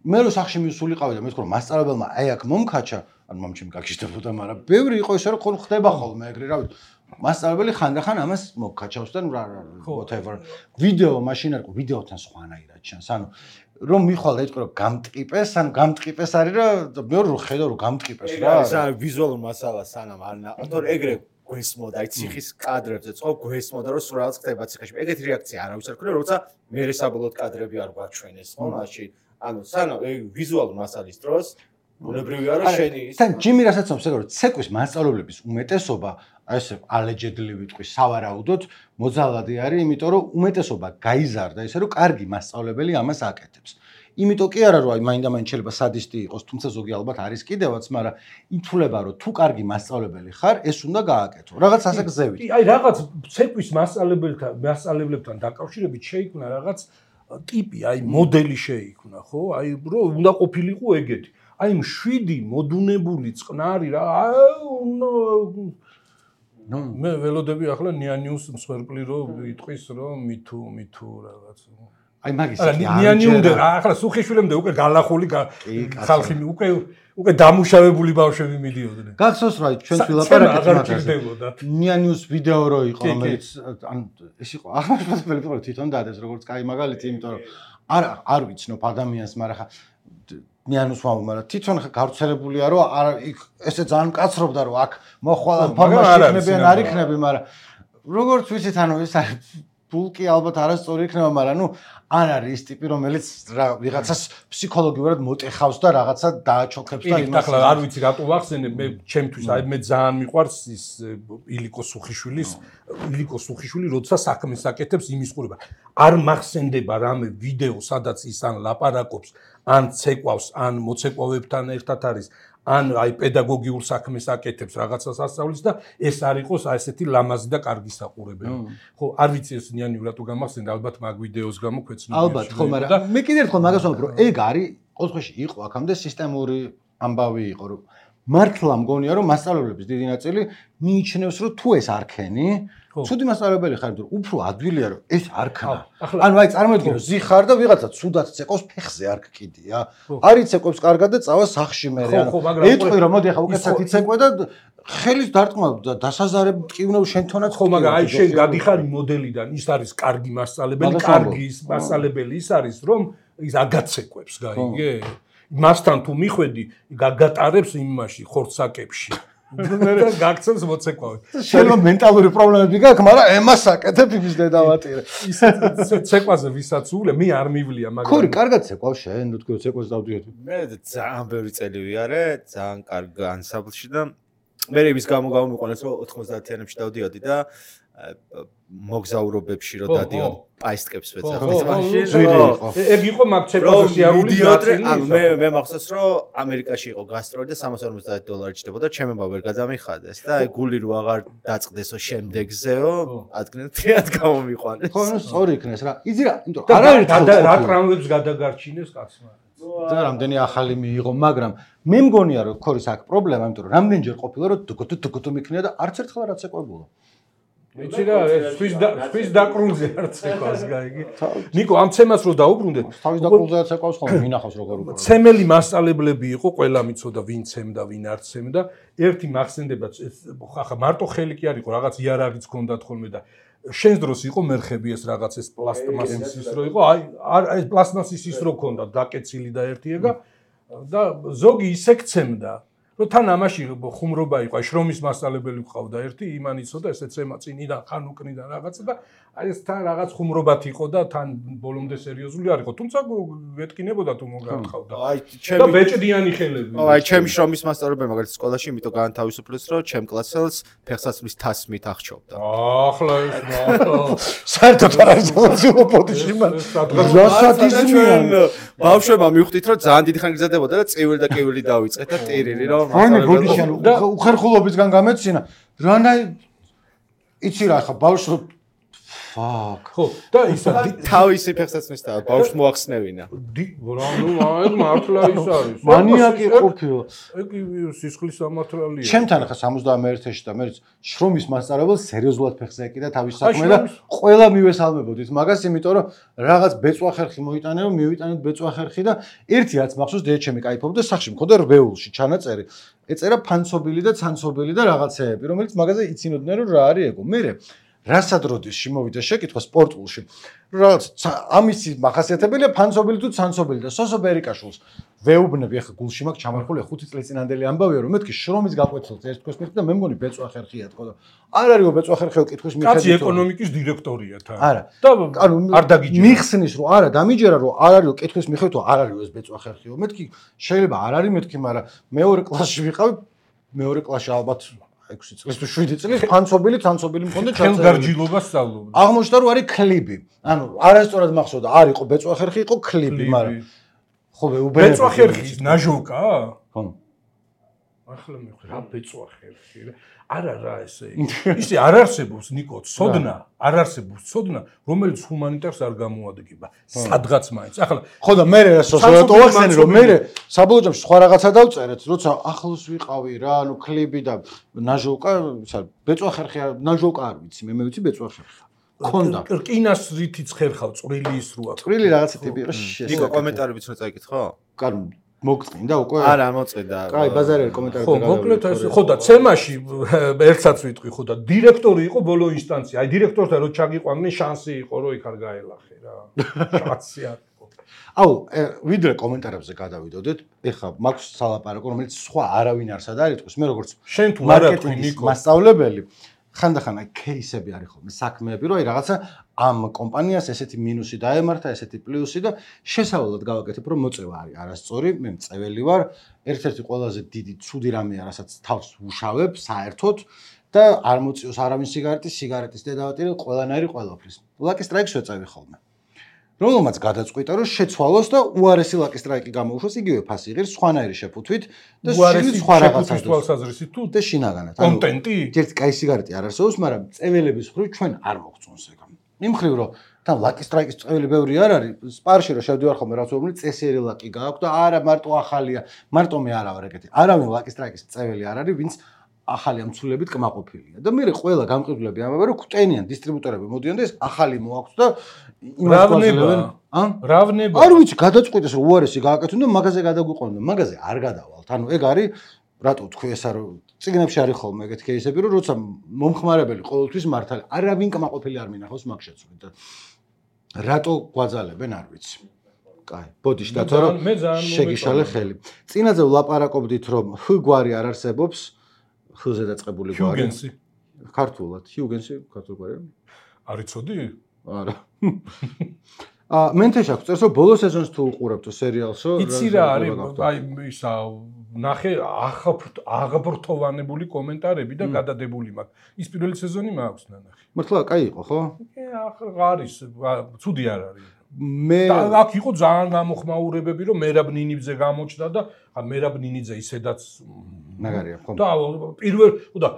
Speaker 2: მე რო სახში მისულიყავი და მეთქო რომ მასწავლებელმა აი აქ მომკაჩა, ან მომჩემ გაგიშდებოდა, მაგრამ ბევრი იყო ისე რომ ხდება ხოლმე ეგრე რა ვიცი. მასწავლებელი ხანდახან ამას მოგკაჩავს და whatever ვიდეო მაშინ არ ყო ვიდეოთან სხვანაირად ჩანს ანუ რომ მიხვალ და იტყვი რომ გამტყიპეს ან გამტყიპეს არის რა მეორე რო ხედავ რომ გამტყიპეს რა
Speaker 1: ეს არის ვიზუალურ მასალა სანამ არ ნაყდორ ეგრე გვესმოდა აი ციხის კადრებზე წყო გვესმოდა რომ სულ რაღაც ხდება ციხეში ეგეთი რეაქცია არავის არ ქონია როცა მე საბოლოოდ კადრები არ გვაჩვენეს ხო მაშინ ანუ სანამ ვიზუალურ მასალის დროს უნებრივია რომ შენი
Speaker 2: თან ჯიმი რასაც ამბობს ეგ რომ ცეკვის მასწავლებლების უმეტესობა აი ესე allegedly ვიტყვი სავარაუდოდ მოძალადი არის იმიტომ რომ უმეტესობა გაიზარდა ისე რომ კარგი მასწავლებელი ამას აკეთებს იმიტომ კი არა რომ აი მაინდა-მაინც შეიძლება სადისტი იყოს თუმცა ზოგი ალბათ არის კიდევაც მაგრამ ითვლება რომ თუ კარგი მასწავლებელი ხარ ეს უნდა გააკეთო რაღაც ასე გზევით
Speaker 3: აი რაღაც ცეკვის მასწავლებლებთან დაკავშირებით შეიქმნა რაღაც ტიპი აი მოდელი შეიქმნა ხო აი რომ უნდა ყოფილიყო ეგეთი აი 7 მოდუნებული წყნარი რა მე ველოდები ახლა ნიანიუს მსხვერპლი რომ იტყვის რომ მითუ რაღაც
Speaker 2: აი მაგის
Speaker 3: ნიანიუნდე ახლა სუხიშვილემდე უკვე გალახული ხალხი უკვე დამუშავებული ბავშვები მიდიოდნენ
Speaker 2: გახსოვს რა ჩვენს ვილაპარაკეთ ნიანიუს ვიდეო რო იყო რომელიც ან ეს იყო ახლა თვითონ დადეს როგორც კაი მაგალითი იმიტომ რომ არ ვიცნობ ადამიანს მაგრამ ხა ნიანუს ვამბობ, მაგრამ თვითონ გავრცელებულია რომ ესე ძალიან მკაცრობდა რომ აქ მოხვალ ფორმაში იქნებიან არ იქნები, მაგრამ როგორც ვიცით ანუ ეს ბულკი ალბათ არასწორი იქნება, მაგრამ ნუ არ არის ის ტიპი რომელიც ვიღაცას ფსიქოლოგიურად მოტეხავს და რაღაცა დააჩოქებს და
Speaker 3: იმას ახლა არ ვიცი რატო ვახსენე მე ჩემთვის აი მე ძალიან მიყვარს ის ილიკო სუხიშვილი როცა საქმეს აკეთებს იმის ყურება არ მახსენდება რამე ვიდეო სადაც ის ან ლაპარაკობს ან ცეკვავს ან მოცეკვავებთან ერთად არის ან აი პედაგოგიურ საქმეს აკეთებს რაღაცას ასწავლის და ეს არ იყოს აი ესეთი ლამაზი და კარგი საყურებელი. ხო, არ ვიცი ეს ნიანი რატო გამახსენდა, ალბათ მაგ ვიდეოს გამო ქვეცნობია.
Speaker 2: ალბათ, ხო, მაგრამ მე კიდევ ერთხელ მაგას ვამბობ, რომ ეგ არის ყოველთვის იყო აქამდე სისტემური ამბავი იყო, რომ მართლა მგონია რომ მასწავლებლების დიდი ნაწილი მიიჩნევს რომ თუ ეს არქენი ცუდი მასწავლებელი ხარ თუ უფრო ადვილია რომ ეს არქნა ანუ აი წარმოიდგინე ზიხარ და ვიღაცა ცუდად ცეკვავს ფეხზე არქ კიდია არის ცეკვებს კარგად და წავა სახში მე რა ეტყვი რომ მოდი ახლა უკეთესად იცეკვე და ხელის დარტყმა და დასაზარებ ტკივნევ შენ თონაც
Speaker 3: ხო მაგრამ აი შენ გადიხარ მოდელიდან ის არის კარგი მასწავლებელი კარგი მასწავლებელი ის არის რომ ის აგაცეკვებს გაიგე მასთან თუ მიხვედი გაგატარებს იმაში ხორცაკებში და გაგცემს მოცეკვავი
Speaker 2: შენ მენტალური პრობლემები გაქვს მაგრამ ემას აკეთებ იმის დედავატირე
Speaker 3: ის ცეკვაზე ვისაც ულე მე არ მივლია მაგრამ
Speaker 2: ხო კარგად ცეკვავ შენ თუ თქო ცეკვას დავდიოდი
Speaker 1: მე ძალიან ბევრი წელი ვიარე ძალიან კარგ ანსამბლში და მე იმის გამო გამომიყონეს რომ 90-იანებში დავდიოდი და მოგზაურობებში რომ დადიოდი პაისტკებს ვეცახე
Speaker 3: ეგ იყო მაგ ცეკვაზე სიარულის ნაწილი
Speaker 1: ანუ მე მახსოვს რომ ამერიკაში იყო გასტროლი და $350 ჭდებოდა ჩემება ვერ გადამიხადეს და აი გული რო აღარ დაწყდესო შემდეგზეო ადგილ თეად გამომიყვანეს
Speaker 2: ხო ნუ სწორი იქნეს რა იზი რა იმიტომ არ არის
Speaker 3: რა ტრამვებს გადაგარჩინეს კაცმა
Speaker 2: და რამდენი ახალი მიიღო მაგრამ მე მგონია რომ ქორის აქ პრობლემა იმიტომ რომ რამდენჯერ ყოფილა რომ დუგუტუ მიქნია და არც ერთხელ არ აცეკვებულა
Speaker 3: ვიცი რა, სვის დაკრულზე არც ეკავს გაიგი. ნიკო, ამ თემას რო დაუბრუნდეთ,
Speaker 2: თავის დაკრულზეაც ეკავს ხოლმე, მინახავს როგორ უყურებ.
Speaker 3: ცემელი მასწავლებლები იყო, ყველა მიცოდა ვინ ცემდა, ვინ არ ცემდა. ერთი მახსენდება, ხა მარტო ხელი კი არ იყო, რაღაც იარაღიც ჰქონდათ ხოლმე და შენს დროს იყო მერხები ეს რაღაც ეს პლასტმასის ის რო იყო, აი პლასტმასის ის რო ჰქონდა დაკეცილი და ერთიება და ზოგი ისე გცემდა. რომ თან ამაში ხუმრობა იყო, აი შრომის მასწავლებელი ყავდა ერთი, იმან იცოდა ესე ცემა წინიდან ხან უკნიდან რაღაცა და აი ეს თან რაღაც ხუმრობათ იყო და თან ბოლომდე სერიოზული არ იყო, თუმცა გეტკინებოდა თუ მოგარხავდა.
Speaker 1: აი
Speaker 3: და ბეჭდიანი ხელები.
Speaker 1: აი ჩემი შრომის მასწავლებელი მაგალითად სკოლაში იმიტომ განთავისუფლეს, რომ ჩემ კლასელს ფეხსაცმლის თასმით აღჭობდა.
Speaker 3: ახლა ეს
Speaker 2: საერთოდ არ არის ემოციურ პოტიში მან.
Speaker 1: ჩვენ ბავშვებმა მივხვდით, რომ ძალიან დიდი ხანი გზადებოდა და წეველი და კეველი დავიწყეთ და ტერილი რომ
Speaker 2: ანუ ბოდიში ანუ უხერხულობისგან გამეცინა რანაი იცი რა ხა ბავშვი ფაკ
Speaker 3: ხო და ისა
Speaker 1: თავისი ფეხსაცმლის და ბავშვს მოახსნევინა
Speaker 3: ანუ მართლა ის არის
Speaker 2: მანიაკი ყოფილა
Speaker 3: ეგ სისხლის სამართალია
Speaker 2: ჩემთან ხა 71-ში და მე შრომის მასწავლებელს სერიოზულად ფეხზე ეკიდა თავის საქმე და ყველა მივესალმებოდით მაგას იმიტომ რომ რაღაც ბეწვა ხერხი მოიტანე რომ მივიტანეთ ბეწვა ხერხი და ერთი რაც მახსოვს დედე ჩემი кайფობდა სახში მქონდა რბეულში ჩანაწერი ეწერა ფანცობილი და ცანცობილი და რაღაცეები რომელიც მაგაზე იცინოდნენ რომ რა არის ეგო მე რასადროდის შემოვიდა შეკითხვა სპორტულში რაღაც ამისი მახასიათებელია ფანცობილი თუ ცანცობილი და სოსო ბერიკაშვილს ვეუბნები ახლა გულში მაქვს ჩამარხული 5 წლის წინანდელი ამბავია რომ მეთქი შრომის გაკვეთილს ერთ თქოს მეთქი და მე მგონი ბეწვა ხერხია თქო და არ არისო ბეწვა ხერხიო კითხვის მიხედვით
Speaker 3: კაცი ეკონომიკის დირექტორია თან
Speaker 2: არა
Speaker 3: და არ დაგიჯერა
Speaker 2: მიხსნის რომ არა დამიჯერა რომ არ არისო კითხვის მიხედვით არ არისო ეს ბეწვა ხერხიო მეთქი შეიძლება არ არის მეთქი მაგრამ მეორე კლასში ვიყავი მეორე კლასში ალბათ 6 წლის თუ 7 წლის ფანცობილი ცანცობილი მქონდა
Speaker 3: ჩაწერილი ხელგარჯილობას სწავლობდა
Speaker 2: აღმოჩნდა რომ არის კლიბი ანუ არასწორად მახსოვდა არ იყო ბეწვა ხერხი იყო კლიბი მაგრამ ხო
Speaker 3: ბეწვა ხერხის ნაჟოვკა
Speaker 2: ხო
Speaker 3: ახლა მე რა ბეწვა ხერხი არა რა ესე ისე არ არსებობს ნიკო ცოდნა არ არსებობს ცოდნა რომელიც ჰუმანიტარს არ გამოადგება სადღაც მაინც ახლა
Speaker 2: ხო და მე რა სოციალურ ვახსენე რომ მე საბოლოო ჯამში სხვა რაღაცა დავწერეთ როცა ახლოს ვიყავი რა ანუ კლიბი და ნაჟოვკა ბეწვა ხერხი ნაჟოვკა არ ვიცი მე ვიცი ბეწვა ხერხი ხონდა
Speaker 3: რკინას რითიც ხერხავ წვრილი ის როა
Speaker 2: წვრილი რაღაცა ტიპი იყო
Speaker 1: ნიკო კომენტარებიც რო წაიკითხო
Speaker 2: კარგი მოგწინდა უკვე
Speaker 1: არა მოწინდა
Speaker 2: კაი ბაზარელი კომენტარები
Speaker 3: ხო მოკლედ ეს ხო და ცემაში ერთსაც ვიტყვი ხო და დირექტორი იყო ბოლო ინსტანცია აი დირექტორთან რო ჩაგიყვანდნენ შანსი იყო რომ იქ არ გაელახე რა შანსი არ იყო
Speaker 2: აუ ვიდრე კომენტარებზე გადავიდოდეთ ეხლა მაქვს სალაპარაკო რომელიც სხვა არავინ არსად არ იტყვის მე როგორც
Speaker 3: შენ თუ არ ატყვი ნიკო
Speaker 2: მასწავლებელი ხანდახან აი кейსები არის ხოლმე საქმეები რომ აი რაღაცა ამ კომპანიას ესეთი მინუსი დაემართა ესეთი პლუსი და შესავალად გავაკეთებ რომ მოწევა არის არასწორი მე მწეველი ვარ ერთ-ერთი ყველაზე დიდი ცუდი რამეა რასაც თავს ვუშავებ საერთოდ და არ მოწიოს არავინ სიგარეტის დედავატირე ყველანაირი ყველაფრის ლაკი სტრაიკს ვეწევი ხოლმე რომელმაც გადაწყვიტა რომ შეცვალოს და უარესი ლაკი სტრაიკი გამოუშვას იგივე ფასი იღებს სხვანაირი შეფუთვით და სხვა რაღაცას
Speaker 3: თვალსაზრისით თუ
Speaker 2: და შინაგანად
Speaker 3: კონტენტი
Speaker 2: ერთი კაი სიგარეტი არ არსებობს მაგრამ წეველების მხრივ ჩვენ არ მოგწონს ეგ იმ მხრივ რომ თან ლაკი სტრაიკის წეველი ბევრი არ არის სპარში რომ შევდივარ ხოლმე რაც უბრალოდ წესიერი ლაკი გააქვს და არა მარტო ახალია მარტო მე არა ვარ ეგეთი არავინ ლაკი სტრაიკის წეველი არ არის ვინც ახალი ამცულებით კმაყოფილია და მე ყველა გამყიდვლები ამბობენ რომ კვტენიან დისტრიბუტორები მოდიან და ეს ახალი მოაქვს და
Speaker 3: რავნება
Speaker 2: არ ვიცი გადაწყვიტეს რომ უარესი გააკეთონ და მაგაზე გადაგვიყვანონ მაგაზე არ გადავალთ ანუ ეგ არის რატო თქვი ესა რომ ციგნებში არის ხოლმე ეგეთი кейსები რომ როცა მომხმარებელი ყოველთვის მართალი არავინ კმაყოფილი არ მინახავს მაგ შეცვლით და რატო გვაძალებენ არ ვიცი კაი ბოდიში და თორე შეგიშალე ხელი წინაზე ვლაპარაკობდით რომ ხ გვარი არ არსებობს ხ-ზე დაწყებული გვარი
Speaker 3: ჰიუგენსი
Speaker 2: ქართულად ჰიუგენსი ქართულ გვარია
Speaker 3: არიცოდი
Speaker 2: არა მენთეშ აქვს წერს რომ ბოლო სეზონს თუ უყურებთ სერიალსო
Speaker 3: იცი რა არის აი ისა ნახე აღბრთოვანებული კომენტარები და გადადებული მაქვს ის პირველი სეზონი მაქვს ნანახი
Speaker 2: მართლა კაი იყო ხო
Speaker 3: არის ცუდი არ არის
Speaker 2: მე
Speaker 3: აქ იყო ძალიან გამოხმაურებები რომ მერაბ ნინიძე გამოჩნდა და მერაბ ნინიძე ისედაც
Speaker 2: მაგარია ხო
Speaker 3: და პირველ და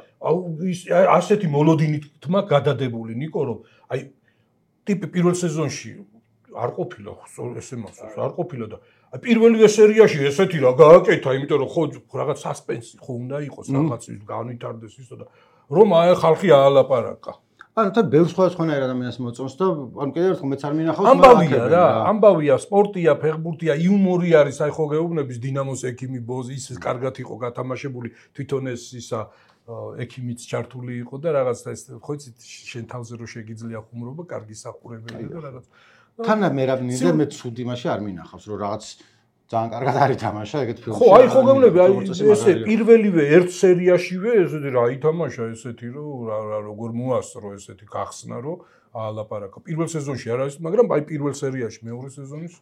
Speaker 3: ასეთი მოლოდინით თმა გადადებული ნიკო რომ აი ტიპი პირველ სეზონში არ ყოფილა ესე მახსოვს არ ყოფილა და პირველი სერიაში ესეთი რა გააკეთა იმიტომ რომ ხო რაღაც სასპენსი ხო უნდა იყოს რაღაც განვითარდეს ისო და რომ აი ხალხი აალაპარაკა
Speaker 2: ანუ თან ბევრ სხვადასხვანაირ ადამიანს მოწონს და ანუ კიდევ ერთხელ მეც არ მინახავს
Speaker 3: ამბავია რა, ამბავია, სპორტია, ფეხბურთია, იუმორი არის, აი ხო გეუბნების დინამოს ექიმი ბოზი ის კარგად იყო გათამაშებული, თვითონ ეს ისა ექიმიც ჩართული იყო და რაღაც ეს ხო იცით შენ თავზე რო შეგიძლია ხუმრობა, კარგი სახურებელი და რაღაც.
Speaker 2: თან მე რა მინდა მე ცუდი მასე არ მინახავს რომ რაღაც ძალიან კარგად არის თამაშა ეგეთ ფილმში.
Speaker 3: ხო, აი ხო გეუბნები, აი ესე პირველივე ერთ სერიაშივე ესეთი რა ითამაშა ესეთი რომ რა როგორ მოასწრო ესეთი გახსნა რომ ალაპარაკა. პირველ სეზონში არ არის, მაგრამ აი პირველ სერიაში მეორე სეზონის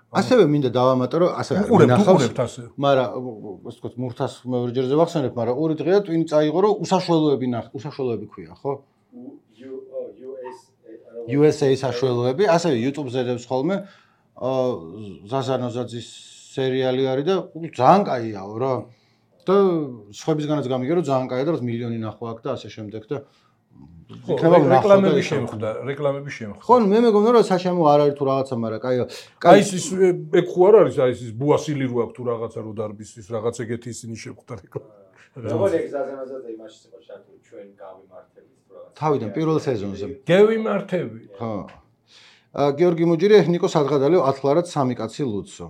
Speaker 2: ასევე მინდა დავამატო რომ ასევე
Speaker 3: უყურებთ ასე.
Speaker 2: მაგრამ ასე ვთქვათ მურთას მეორე ჯერზე ვახსენებ, მაგრამ ორი დღეა ტვინი წაიღო რომ უსაშველოები ქვია, ხო? USA საშველოები, ასევე YouTube-ზე დევს ხოლმე ზაზანოზაძის სერიალი არის და ძალიან კაიაო რა. და სხვებისგანაც გამიგე რომ ძალიან კაია და რომ მილიონი ნახვა აქვს და ასე შემდეგ და
Speaker 3: რეკლამები შემხდა.
Speaker 2: ხო, მე მეგონა რომ საშემო არ არის თუ რაღაცა, მაგრამ კაია.
Speaker 3: აი ის ეგ ხო არ არის, აი ის ბუასილი რო აქვს თუ რაღაცა რო დარბის ის რაღაც ეგეთი ისინი შემხდა რეკლამა.
Speaker 4: როგორ ეგ ზაზანოზაძე იმაში იყო შარტული ჩვენ გავიმართებით თუ რაღაცა.
Speaker 2: თავიდან პირველ სეზონზე.
Speaker 3: გევიმართები.
Speaker 2: ხო. გიორგი მუჯირი ნიკო სადღადალიო 10 ლარად 3 კაცი ლუცო.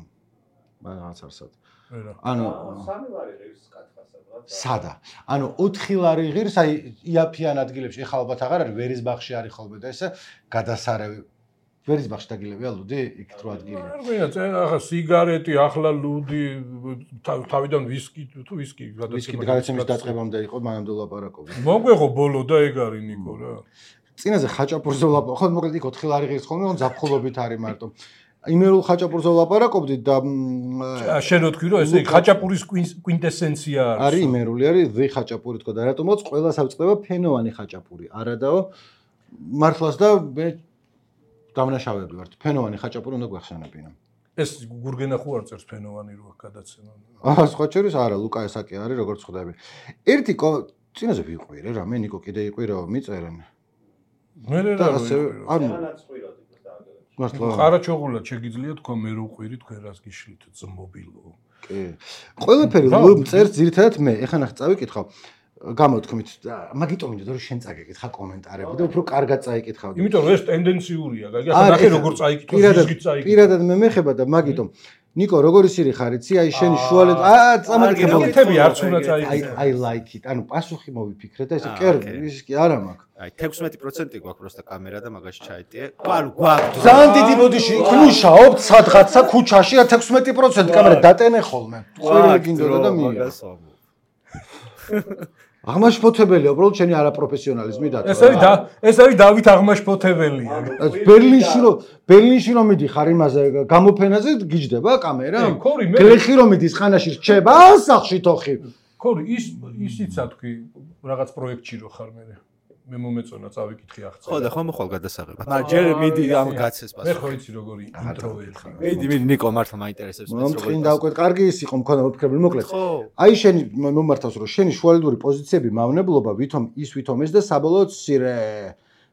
Speaker 2: რაღაც არსად. ანუ
Speaker 4: 3 ლარი ღირს კათხასადღაც.
Speaker 2: სადა. ანუ 4 ლარი ღირს აი იაფიან ადგილებში ეხლა ალბათ აღარ არის ვერისბახში არის ხოლმე და ესე გადასარევი. ვერისბახში დაგილევია ლუდი იქ რო ადგილია.
Speaker 3: არ ვინაც ახლა სიგარეტი, ახლა ლუდი, თავიდან ვისკი თუ ვისკი
Speaker 2: გადაცემის დაწყებამდე იყო მანამდე ლაპარაკობდი.
Speaker 3: მოგვეღო ბოლო და ეგ არის ნიკო რა.
Speaker 2: წინაზე ხაჭაპურზე ლაპარაკობ, ხო მოკლედ იქ 4 ლარი ღირს ხოლმე, on ზაფხულობით არის მარტო. იმერულ ხაჭაპურზე ლაპარაკობდი და
Speaker 3: შენ რო თქვი რომ ესე ხაჭაპურის კვინტესენცია არის.
Speaker 2: არის იმერული, არის ვი ხაჭაპური თქო და რატომაც ყველას ავწყდება ფენოვანი ხაჭაპური. არადაო მართლაც და მე დამნაშავები ვართ. ფენოვანი ხაჭაპური უნდა გვახსენებინა.
Speaker 3: ეს გურგენა ხო არ წერს ფენოვანი რო აქ გადაცემა.
Speaker 2: სხვა შორის არა, ლუკა ესაკი არის, როგორც ხვდები. ერთი წინაზე ვიყვირე რა, მე ნიკო კიდე იყვირო, მიწერენ.
Speaker 3: მე რა
Speaker 2: ანუ მართლა
Speaker 3: ყარაჩოღულად შეგიძლია თქვა მე რო ყვირი თქვენ რას გიშლით ძმობილო.
Speaker 2: კი. ყველაფერი წერს ძირითადად მე. ეხლა ნახე წავიკითხავ. გამოთქმით, მაგიტომ მინდოდა რომ შენ წაგეკითხა კომენტარები და უფრო კარგად წაიკითხავდი.
Speaker 3: იმიტომ რომ ეს ტენდენციურია, გაიგე? ახლა ნახე როგორ წაიკითხო, ზიზგით წაიკითხო.
Speaker 2: პირადად მე მეხება და მაგიტომ ნიკო როგორი სირი ხარიცი? აი შენი შუალედ
Speaker 3: წამაკითხები არც უნდა წაიკითხო.
Speaker 2: I like it. ანუ პასუხი მოვიფიქრე და ესე კერ ის კი არა მაქვს.
Speaker 1: აი 16% გვაქვს პროსტა კამერა და მაგაში ჩაიტიე. ანუ გვაქვს.
Speaker 2: ძალიან დიდი ბოდიში იქ მუშაობთ სადღაცა ქუჩაში 16% კამერა დატენე ხოლმე. ხვირი გინდოდა და მიიღე. აღმაშფოთებელია, უბრალოდ შენი არაპროფესიონალიზმი დაწვა.
Speaker 3: ეს არის დავით აღმაშფოთებელია.
Speaker 2: ბერლინში რომ მიდიხარ იმაზე გამოფენაზე გიჯდება კამერა? გლეხი რომ მიდის ხანაში რჩება სახლში თოხი.
Speaker 3: ქორი ისიცა თქვი რაღაც პროექტში რო ხარ მე. მე მომეწონა წავიკითხე ახლა.
Speaker 1: ხო და ხომ ხვალ გადასაღებად. მაგრამ ჯერ მიდი ამ გაცეს პასუხი.
Speaker 3: მე ხო იცი როგორი ინტროვერტი.
Speaker 1: მიდი ნიკო მართლა მაინტერესებს
Speaker 2: ეს როგორი. მომ დავკვეთ, კარგი ის იყო მქონდა მოფიქრებული მოკლედ. აი შენი მომართავს რომ შენი შუალედური პოზიციები მავნებლობა ვითომ ეს და საბოლოოდ სირე.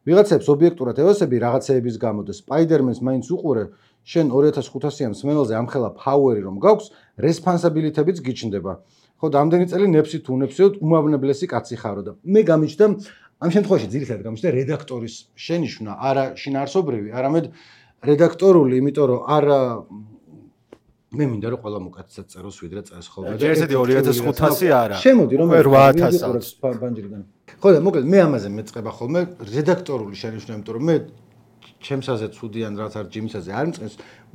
Speaker 2: ვიღაცებს ობიექტურად ევასები რაღაცეების გამო და სპაიდერმენს მაინც უყურე, შენ 2500-იან მსმენელზე ამხელა ფაუერი რომ გაქვს, რესპონსაბილიტებიც გიჩნდება. ხო და ამდენი წელი ნეფსი თუ ნეფსიოდ უმავნებლესი კაცი ხარო და მე გამიჩნდა ამ შემთხვევაში ძირითადად გამიჩნდა რედაქტორის შენიშვნა, არა შინაარსობრივი, არამედ რედაქტორული, იმიტომ რომ არა მე მინდა რომ ყველა მოკაცსაც წეროს ვიდრე წერს ხოლმე.
Speaker 1: ჯერ ესეთი 2500 არა.
Speaker 2: შემოდი რომ
Speaker 1: 8000
Speaker 2: ბანჯრიდან. ხო და მოკლედ მე ამაზე მეწყება ხოლმე რედაქტორული შენიშვნა, იმიტომ რომ მე ჩემსაზე ცუდიან რაც არ ჯიმისაზე არ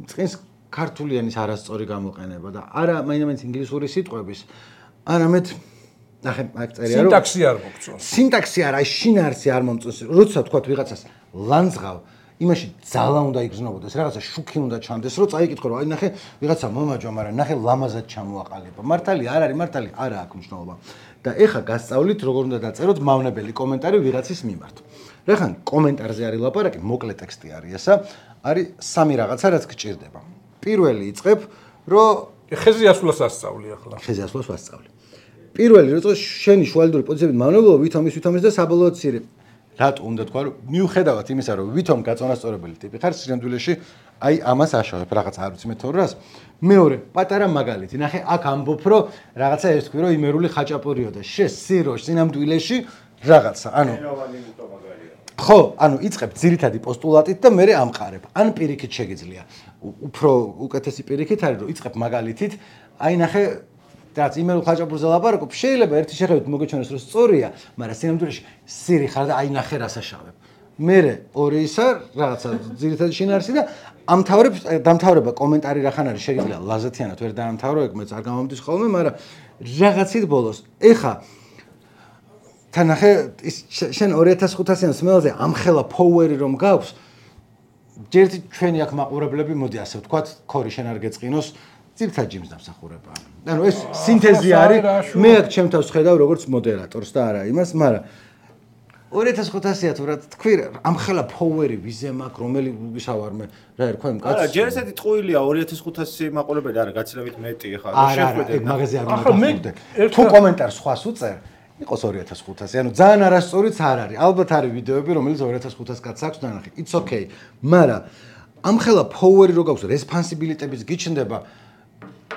Speaker 2: მწყენს ქართულიანის არასწორი გამოყენება და არა მაინც ინგლისური სიტყვების, არამედ ნახე მაგ წერია რომ
Speaker 3: სინტაქსი არ მოგწონს.
Speaker 2: სინტაქსი არა, შინაარსი არ მომწონს. როცა თქვა ვიღაცას ლანძღავ, იმაში ძალა უნდა იგრძნობოდეს, რაღაცა შუქი უნდა ჩანდეს, რომ წაიკითხო რომ აი ნახე ვიღაცა მომაჯვა, მაგრამ ნახე ლამაზად ჩამოაყალიბა. მართალი არ არის, მართალი არა აქვს მნიშვნელობა. და ეხა გასწავლით როგორ უნდა დაწეროთ მავნებელი კომენტარი ვიღაცის მიმართ. რა ხან კომენტარზე არის ლაპარაკი, მოკლე ტექსტი არის ესა, არის სამი რაღაცა რაც გჭირდება. პირველი იწყებ, რომ
Speaker 3: ხეზე ასვლას ასწავლი ახლა.
Speaker 2: ხეზე ასვლას ვასწავლი. პირველი როცა შენი შუალედური პოზიციები მავნებლობა ვითომ ის და საბოლოოდ სირე. რატო უნდა თქვა რომ მიუხედავად იმისა რომ ვითომ გაწონასწორებელი ტიპი ხარ სინამდვილეში აი ამას აშავებ რაღაც არ ვიცი მე თორას მეორე პატარა მაგალითი ნახე აქ ამბობ რომ რაღაცა ეს თქვი რომ იმერული ხაჭაპურიო და შე სირო სინამდვილეში რაღაცა ანუ ხო, ანუ იწყებ ძირითადი პოსტულატით და მე ამყარებ. ან პირიქით შეგიძლია. უფრო უკეთესი პირიქით არის, რომ იწყებ მაგალითით, აი ნახე რაც იმერულ ხაჭაპურზე ლაპარაკობ, შეიძლება ერთი შეხედვით მოგეჩვენოს, რომ სწორია, მაგრამ სინამდვილეში სირი ხარ და აი ნახე რასაშავებ. მერე ორი ისა რაღაცა ძირითადი შინაარსი და დამთავრება კომენტარი რახან არის შეიძლება ლაზათიანად ვერ დაამთავრო, ეგ მეც არ გამომდის ხოლმე, მაგრამ რაღაცით ბოლოს. ეხა თან ნახე შენ 2500-იან სმელზე ამხელა ფოუერი რომ გაქვს, ჯერტი ჩვენი აქ მაყურებლები მოდი ასე ვთქვათ, ქორი შენ არ გეწყინოს ძირთად ჯიმს დამსახურება. ანუ ეს სინთეზი არის. მე აქ ჩემ თავს ხედავ როგორც მოდერატორს და არა იმას, მაგრამ 2500-ია თუ რა თქვი, ამხელა ფოუერი ვიზე მაქვს, რომელი ვისავარმე, რა ერქვა იმ კაცს.
Speaker 1: არა, ჯერ ესეთი ტყუილია 2500 მაყურებელი არა, გაცილებით მეტი ხა.
Speaker 2: შეხვედრე მაგაზე არ მომხდე. თუ კომენტარს სხვას უწერ, იყოს 2500. ანუ ძალიან არასწორიც არ არის. ალბათ არის ვიდეოები, რომელიც 2500 კაცს აქვს დანახი. It's okay. მაგრამ ამხელა ფოუერი რო გაქვს, რესპონსიბილიტების გიჩნდება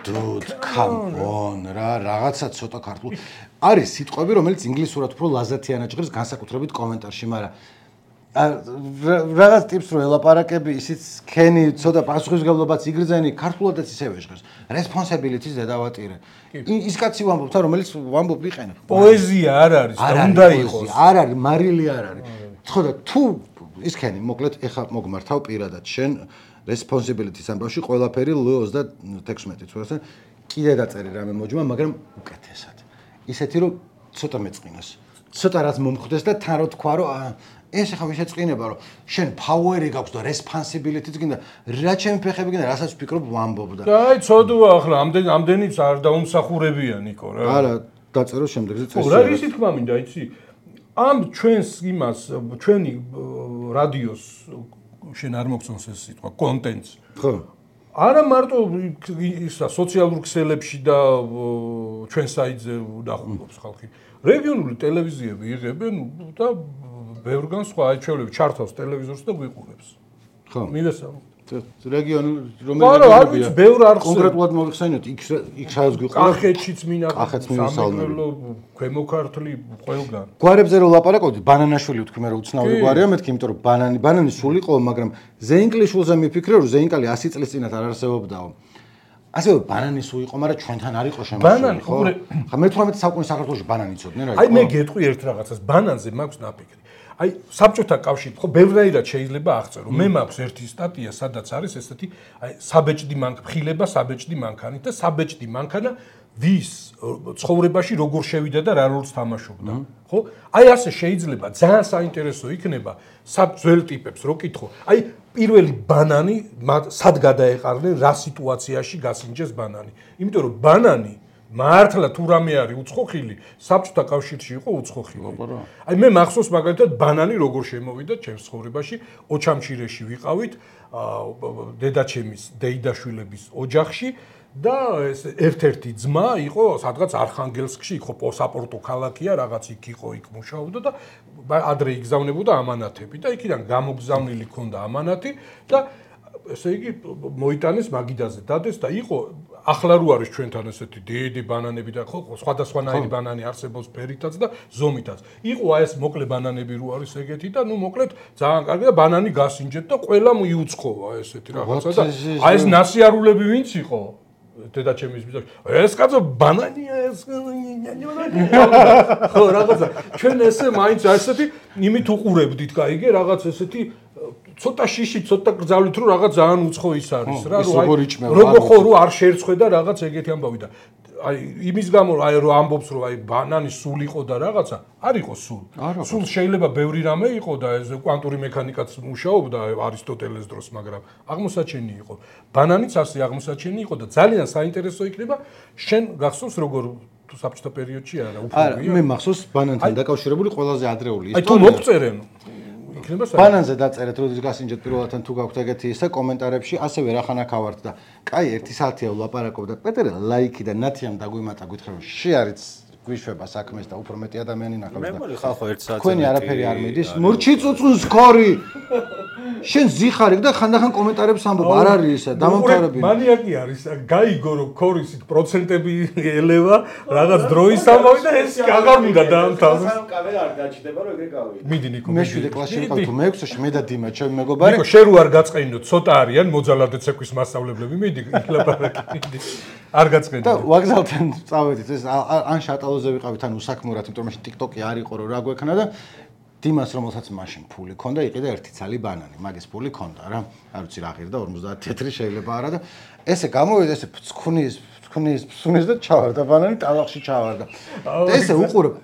Speaker 2: Dude, come on, რაღაცა ცოტა ქართულ. არის სიტყვები, რომელიც ინგლისურად უფრო ლაზათიანად ჟღერს განსაკუთრებით კომენტარში, მაგრამ რაღაც ტიპს რო ელაპარაკები, ისიც ქენი ცოტა პასუხისმგებლობაც იგრძენი, ქართულადაც ისევე ჟღერს. Responsibility-ს დედავატირე. ის კაცი ვამბობთ, რომელიც ვამბობ ვიყენებ.
Speaker 3: პოეზია არ არის და უნდა იყოს.
Speaker 2: არ არის, მარილი არ არის. ხო და თუ ის ქენი, მოკლედ ეხა მოგმართავ პირადად შენ responsibility-ს ამბავში ყველაფერი L26 თუ ასე კიდე დაწერე რამე მოჯმა, მაგრამ უკეთესად. ისეთი რომ ცოტა მეწყინოს. ცოტა რაც მომხდეს და თან რო თქვა რომ ეს ახლა შეწყინება რომ შენ power-ი გაქვს და responsibility-ც გინდა რა ჩემი ფეხები გინდა რასაც ვფიქრობ ვამბობ და
Speaker 3: აი ცოდვა ახლა ამდენიც არ დაუმსახურებია ნიკო რა.
Speaker 2: არა დაწერო შემდეგზე წესი.
Speaker 3: რა ისი თქმა მინდა იცი ამ ჩვენს იმას ჩვენი რადიოს შენ არ მოგწონს ეს სიტყვა კონტენტს
Speaker 2: ხო
Speaker 3: არა მარტო ისა სოციალურ ქსელებში და ჩვენ საიტზე დახულობს ხალხი რეგიონული ტელევიზიები იღებენ და ბევრგან სხვა აჩვენებს ჩართავს ტელევიზორს და გვიყურებს
Speaker 2: ხო
Speaker 3: მივესალმ
Speaker 2: რეგიონული
Speaker 3: რომელი ბევრ არ
Speaker 2: კონკრეტულად მოიხსენოთ იქ სადაც გვიყურებს
Speaker 3: კახეთშიც სამეგრელო ქვემო ქართლი ყველგან
Speaker 2: გვარებზე რო ლაპარაკობდი ბანანაშვილი ვთქვი მე რომ უცნაური გვარია მეთქი იმიტომ რომ ბანანი სულ იყო მაგრამ ზეინკლიშვილზე მიფიქრე რომ ზეინკალი 100 წლის წინათ არ არსებობდაო ასევე ბანანი სულ იყო მაგრამ ჩვენთან არ იყო შემოსული ხო ხა მე-18 საუკუნის საქართველოში ბანანი იცოდნენ რა
Speaker 3: აი მე გეტყვი ერთ რაღაცას ბანანზე მაქვს ნაფიქრი აი საბჭოთა კავშირით ხო ბევრნაირად შეიძლება აღწერო მე მაქვს ერთი სტატია სადაც არის ესეთი აი საბეჭდი მანქანა საბეჭდი მანქანით და საბეჭდი მანქანა ვის ცხოვრებაში როგორ შევიდა და რა როლს თამაშობდა ხო აი ასე შეიძლება ძალიან საინტერესო იქნება ძველ ტიპებს რო კითხო აი პირველი ბანანი სად გადაეყარნენ რა სიტუაციაში გასინჯეს ბანანი იმიტომ რომ ბანანი მართლა თუ რამე არის უცხოხილი საბჭოთა კავშირში იყო უცხოხილი აი მე მახსოვს მაგალითად ბანანი როგორ შემოვიდა ჩემს ცხოვრებაში ოჩამჩირეში ვიყავით დედაჩემის დეიდაშვილების ოჯახში და ეს ერთ-ერთი ძმა იყო სადღაც არხანგელსკში იყო პოსაპორტო ქალაქია რაღაც იქ იყო იქ მუშაობდა და ადრე იგზავნებოდა ამანათები და იქიდან გამოგზავნილი ქონდა ამანათი და ესე იგი მოიტანეს მაგიდაზე დადეს და იყო ახლა რო არის ჩვენთან ესეთი დიდი ბანანები და ხო სხვადასხვანაირი ბანანი არსებობს ფერითაც და ზომითაც. იყო აი ეს მოკლე ბანანები რო არის ეგეთი და ნუ მოკლედ ძალიან კარგი და ბანანი გასინჯეთ და ყველა მიუცხოვა ესეთი რაღაცა და აი ეს ნასიარულები ვინც იყო დედაჩემის ბიძა ეს კაცო ბანანია ეს ხო რაღაცა ჩვენ ესე მაინც ესეთი იმით უყურებდით კაიგე რაღაც ესეთი ცოტა შიში ცოტა გრძალვით რომ რაღაც ძალიან უცხო ის არის რა როგორ ხო რო არ შეერცხვე და რაღაც ეგეთი ამბავი და აი იმის გამო აი რო ამბობს რომ აი ბანანი სულ იყო და რაღაცა არ იყო სულ შეიძლება ბევრი რამე იყო და ეს კვანტური მექანიკაც მუშაობდა არისტოტელეს დროს მაგრამ აღმოსაჩენი იყო ბანანიც ასე აღმოსაჩენი იყო და ძალიან საინტერესო იქნება შენ გახსოვს როგორ თუ საბჭოთა პერიოდში არა
Speaker 2: უფრო მე მახსოვს ბანანთან დაკავშირებული ყველაზე ადრეული
Speaker 3: ისტორია აი თუ მოგწერენ
Speaker 2: ბანანზე დაწერეთ როდის გასინჯეთ პირველად თუ გაქვთ ეგეთი ისე კომენტარებში ასევე რახანაკ ავართ და კაი 1 საათია ვლაპარაკობ და პეტერე ლაიქი და ნათიამ დაგვიმატა გითხრა შეარიც გვიშვება საქმეს და უფრო მეტი ადამიანი ნახავს და
Speaker 1: მე მოდი ხალხო 1 საათზე
Speaker 2: თქვენი არაფერი არ მიდის მურჩი წუწუნს ქორი შენ ზიხარი და ხანდახან კომენტარებს ამბობ, არ არის ესა, დამამთავრებელი.
Speaker 3: მანიაკი არის, გაიგო რომ ქორისით პროცენტები ელევა, რაღაც დროის ამავე და ეს აღარ მინდა დაამთავროს.
Speaker 4: სანამ კამერა არ გაჩნდება, რომ ეგრე გავიდი.
Speaker 3: მიდი ნიკო.
Speaker 2: მე 7 კლასში ვიყავ თუ მე-6-ში მე და დიმა, ჩემი მეგობარი.
Speaker 3: ნიკო, შენ რო არ გაწყენინო, ცოტა არიან მოძალადე ცეკვის მასწავლებლები, მიდი ილაპარაკი, მიდი. არ გაწყენინო.
Speaker 2: და ვაგზალთან წავედით, ეს ან შატალოზე ვიყავით, ან უსაქმურად, იმიტომ რომ მაშინ TikTok-ი არ იყო რომ რა გვექნა და დიმას რომელსაც მაშინ ფული ქონდა, იყიდა ერთი ცალი ბანანი, მაგის ფული ქონდა რა. არ ვიცი რა ღირდა 50 თეთრი შეიძლება არა და ესე გამოვიდა ესე ფსუნის და ჩავარდა ბანანი ტალახში ჩავარდა. და ესე უყურებ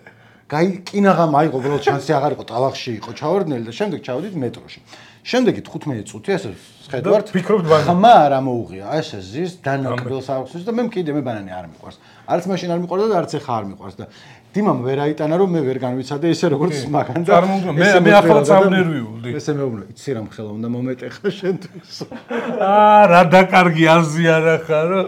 Speaker 2: კინაღამ აიღო ბოლოს შანსი აღარ იყო ტალახში იყო ჩავარდნელი და შემდეგ ჩავედით მეტროში. შემდეგი 15 წუთი ესე ხედავთ
Speaker 3: ფიქრობთ ბანანი.
Speaker 2: ხმა არ ამოუღია, ესე ზის დანაკბილს აქვს და მე ბანანი არ მიყვარს. არც მაშინ არ მიყვარდა და არც ეხა არ მიყვარს და დიმამ ვერ აიტანა რომ მე ვერ განვიცადე ესე როგორც მაგან და
Speaker 3: მე ახლა წავნერვიულდი.
Speaker 2: ესე მეუბნე, იცი რა მხელა უნდა მომეტეხა შენთვის.
Speaker 3: რა დაკარგი აზიანა ხარო.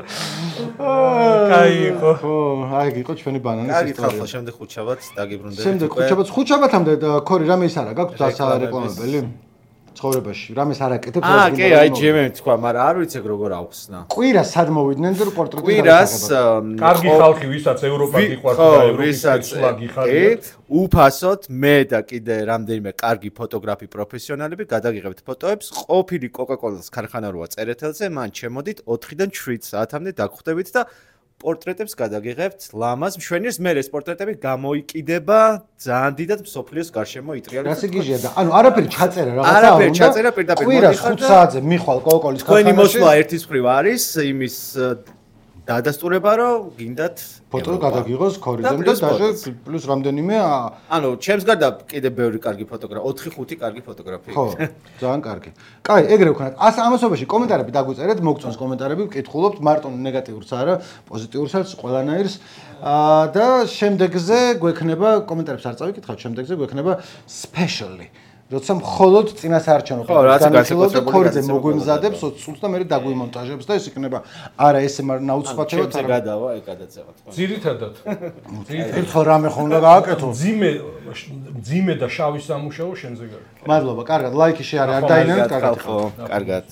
Speaker 3: კაი იყო.
Speaker 2: ხო, აი იყო ჩვენი ბანანის
Speaker 1: ისტორია. კარგი ხალხო, შემდეგ ხუთშაბათ დაგიბრუნდებით.
Speaker 2: შემდეგ ხუთშაბათამდე ქორი რამე ის არა გაქვს დასარეკლამებელი? ცხოვრებაში რამეს არ აკეთებს
Speaker 1: რა კი აი ჯემე თქვა მაგრამ არ ვიცი როგორ აუხსნა
Speaker 2: კვირას სად მოვიდნენ და პორტრეტი
Speaker 3: კვირას კარგი ხალხი ვისაც ევროპა გიყვართ და ევროპის სლაგიხარიათ
Speaker 1: უფასოდ მე და კიდე რამდენიმე კარგი ფოტოგრაფი პროფესიონალები გადაგიღებთ ფოტოებს ყოფილი კოკაკოლას ქარხანა როა წერეთელზე მან ჩემოდით 4-დან 7 საათამდე დაგხვდებით და პორტრეტებს გადაგიღებთ ლამაზ მშვენიერს მე ეს პორტრეტები გამოიკიდება ძალიან დიდად მსოფლიოს გარშემო იტრიალებს
Speaker 2: რა სიგიჟია და ანუ არაფერი ჩაწერა რაღაცა
Speaker 1: არაფერი ჩაწერა პირდაპირ
Speaker 2: კვირას 5 საათზე მიხვალ კოკაკოლის
Speaker 1: ქარხანაში თქვენი მოსვლა ერთის მხრივ არის იმის დადასტურება რომ გინდათ
Speaker 2: ფოტო გადაგიღოს ქორიდან და დაჟე პლუს რამდენიმე
Speaker 1: ანუ ჩემს გარდა კიდე ბევრი კარგი ფოტოგრაფი 4-5 კარგი ფოტოგრაფი
Speaker 2: ხო ძალიან კარგი კაი ეგრე ვქნათ ამასობაში კომენტარები დაგვიწერეთ მოგწონს კომენტარები ვკითხულობთ მარტო ნეგატიურს არა პოზიტიურსაც ყველანაირს და შემდეგზე გვექნება კომენტარებს არ წავიკითხავთ შემდეგზე გვექნება სპეშალი როცა მხოლოდ წინასაარჩევნო განხილავთ ქორიძე მოგვიმზადებს 20 წუთს და მე დაგვიმონტაჟებს და ეს იქნება არა ესე ნაუცხვათებად
Speaker 1: არა გადავა ეგ გადაცემა თქო
Speaker 3: ძირითადად
Speaker 2: ხო რამე ხომ უნდა გააკეთო
Speaker 3: ძიმე და შავი სამუშაო შენზე გააკეთე
Speaker 2: მადლობა კარგად ლაიქი შეარე არ დაინერვეთ კარგად
Speaker 1: კარგად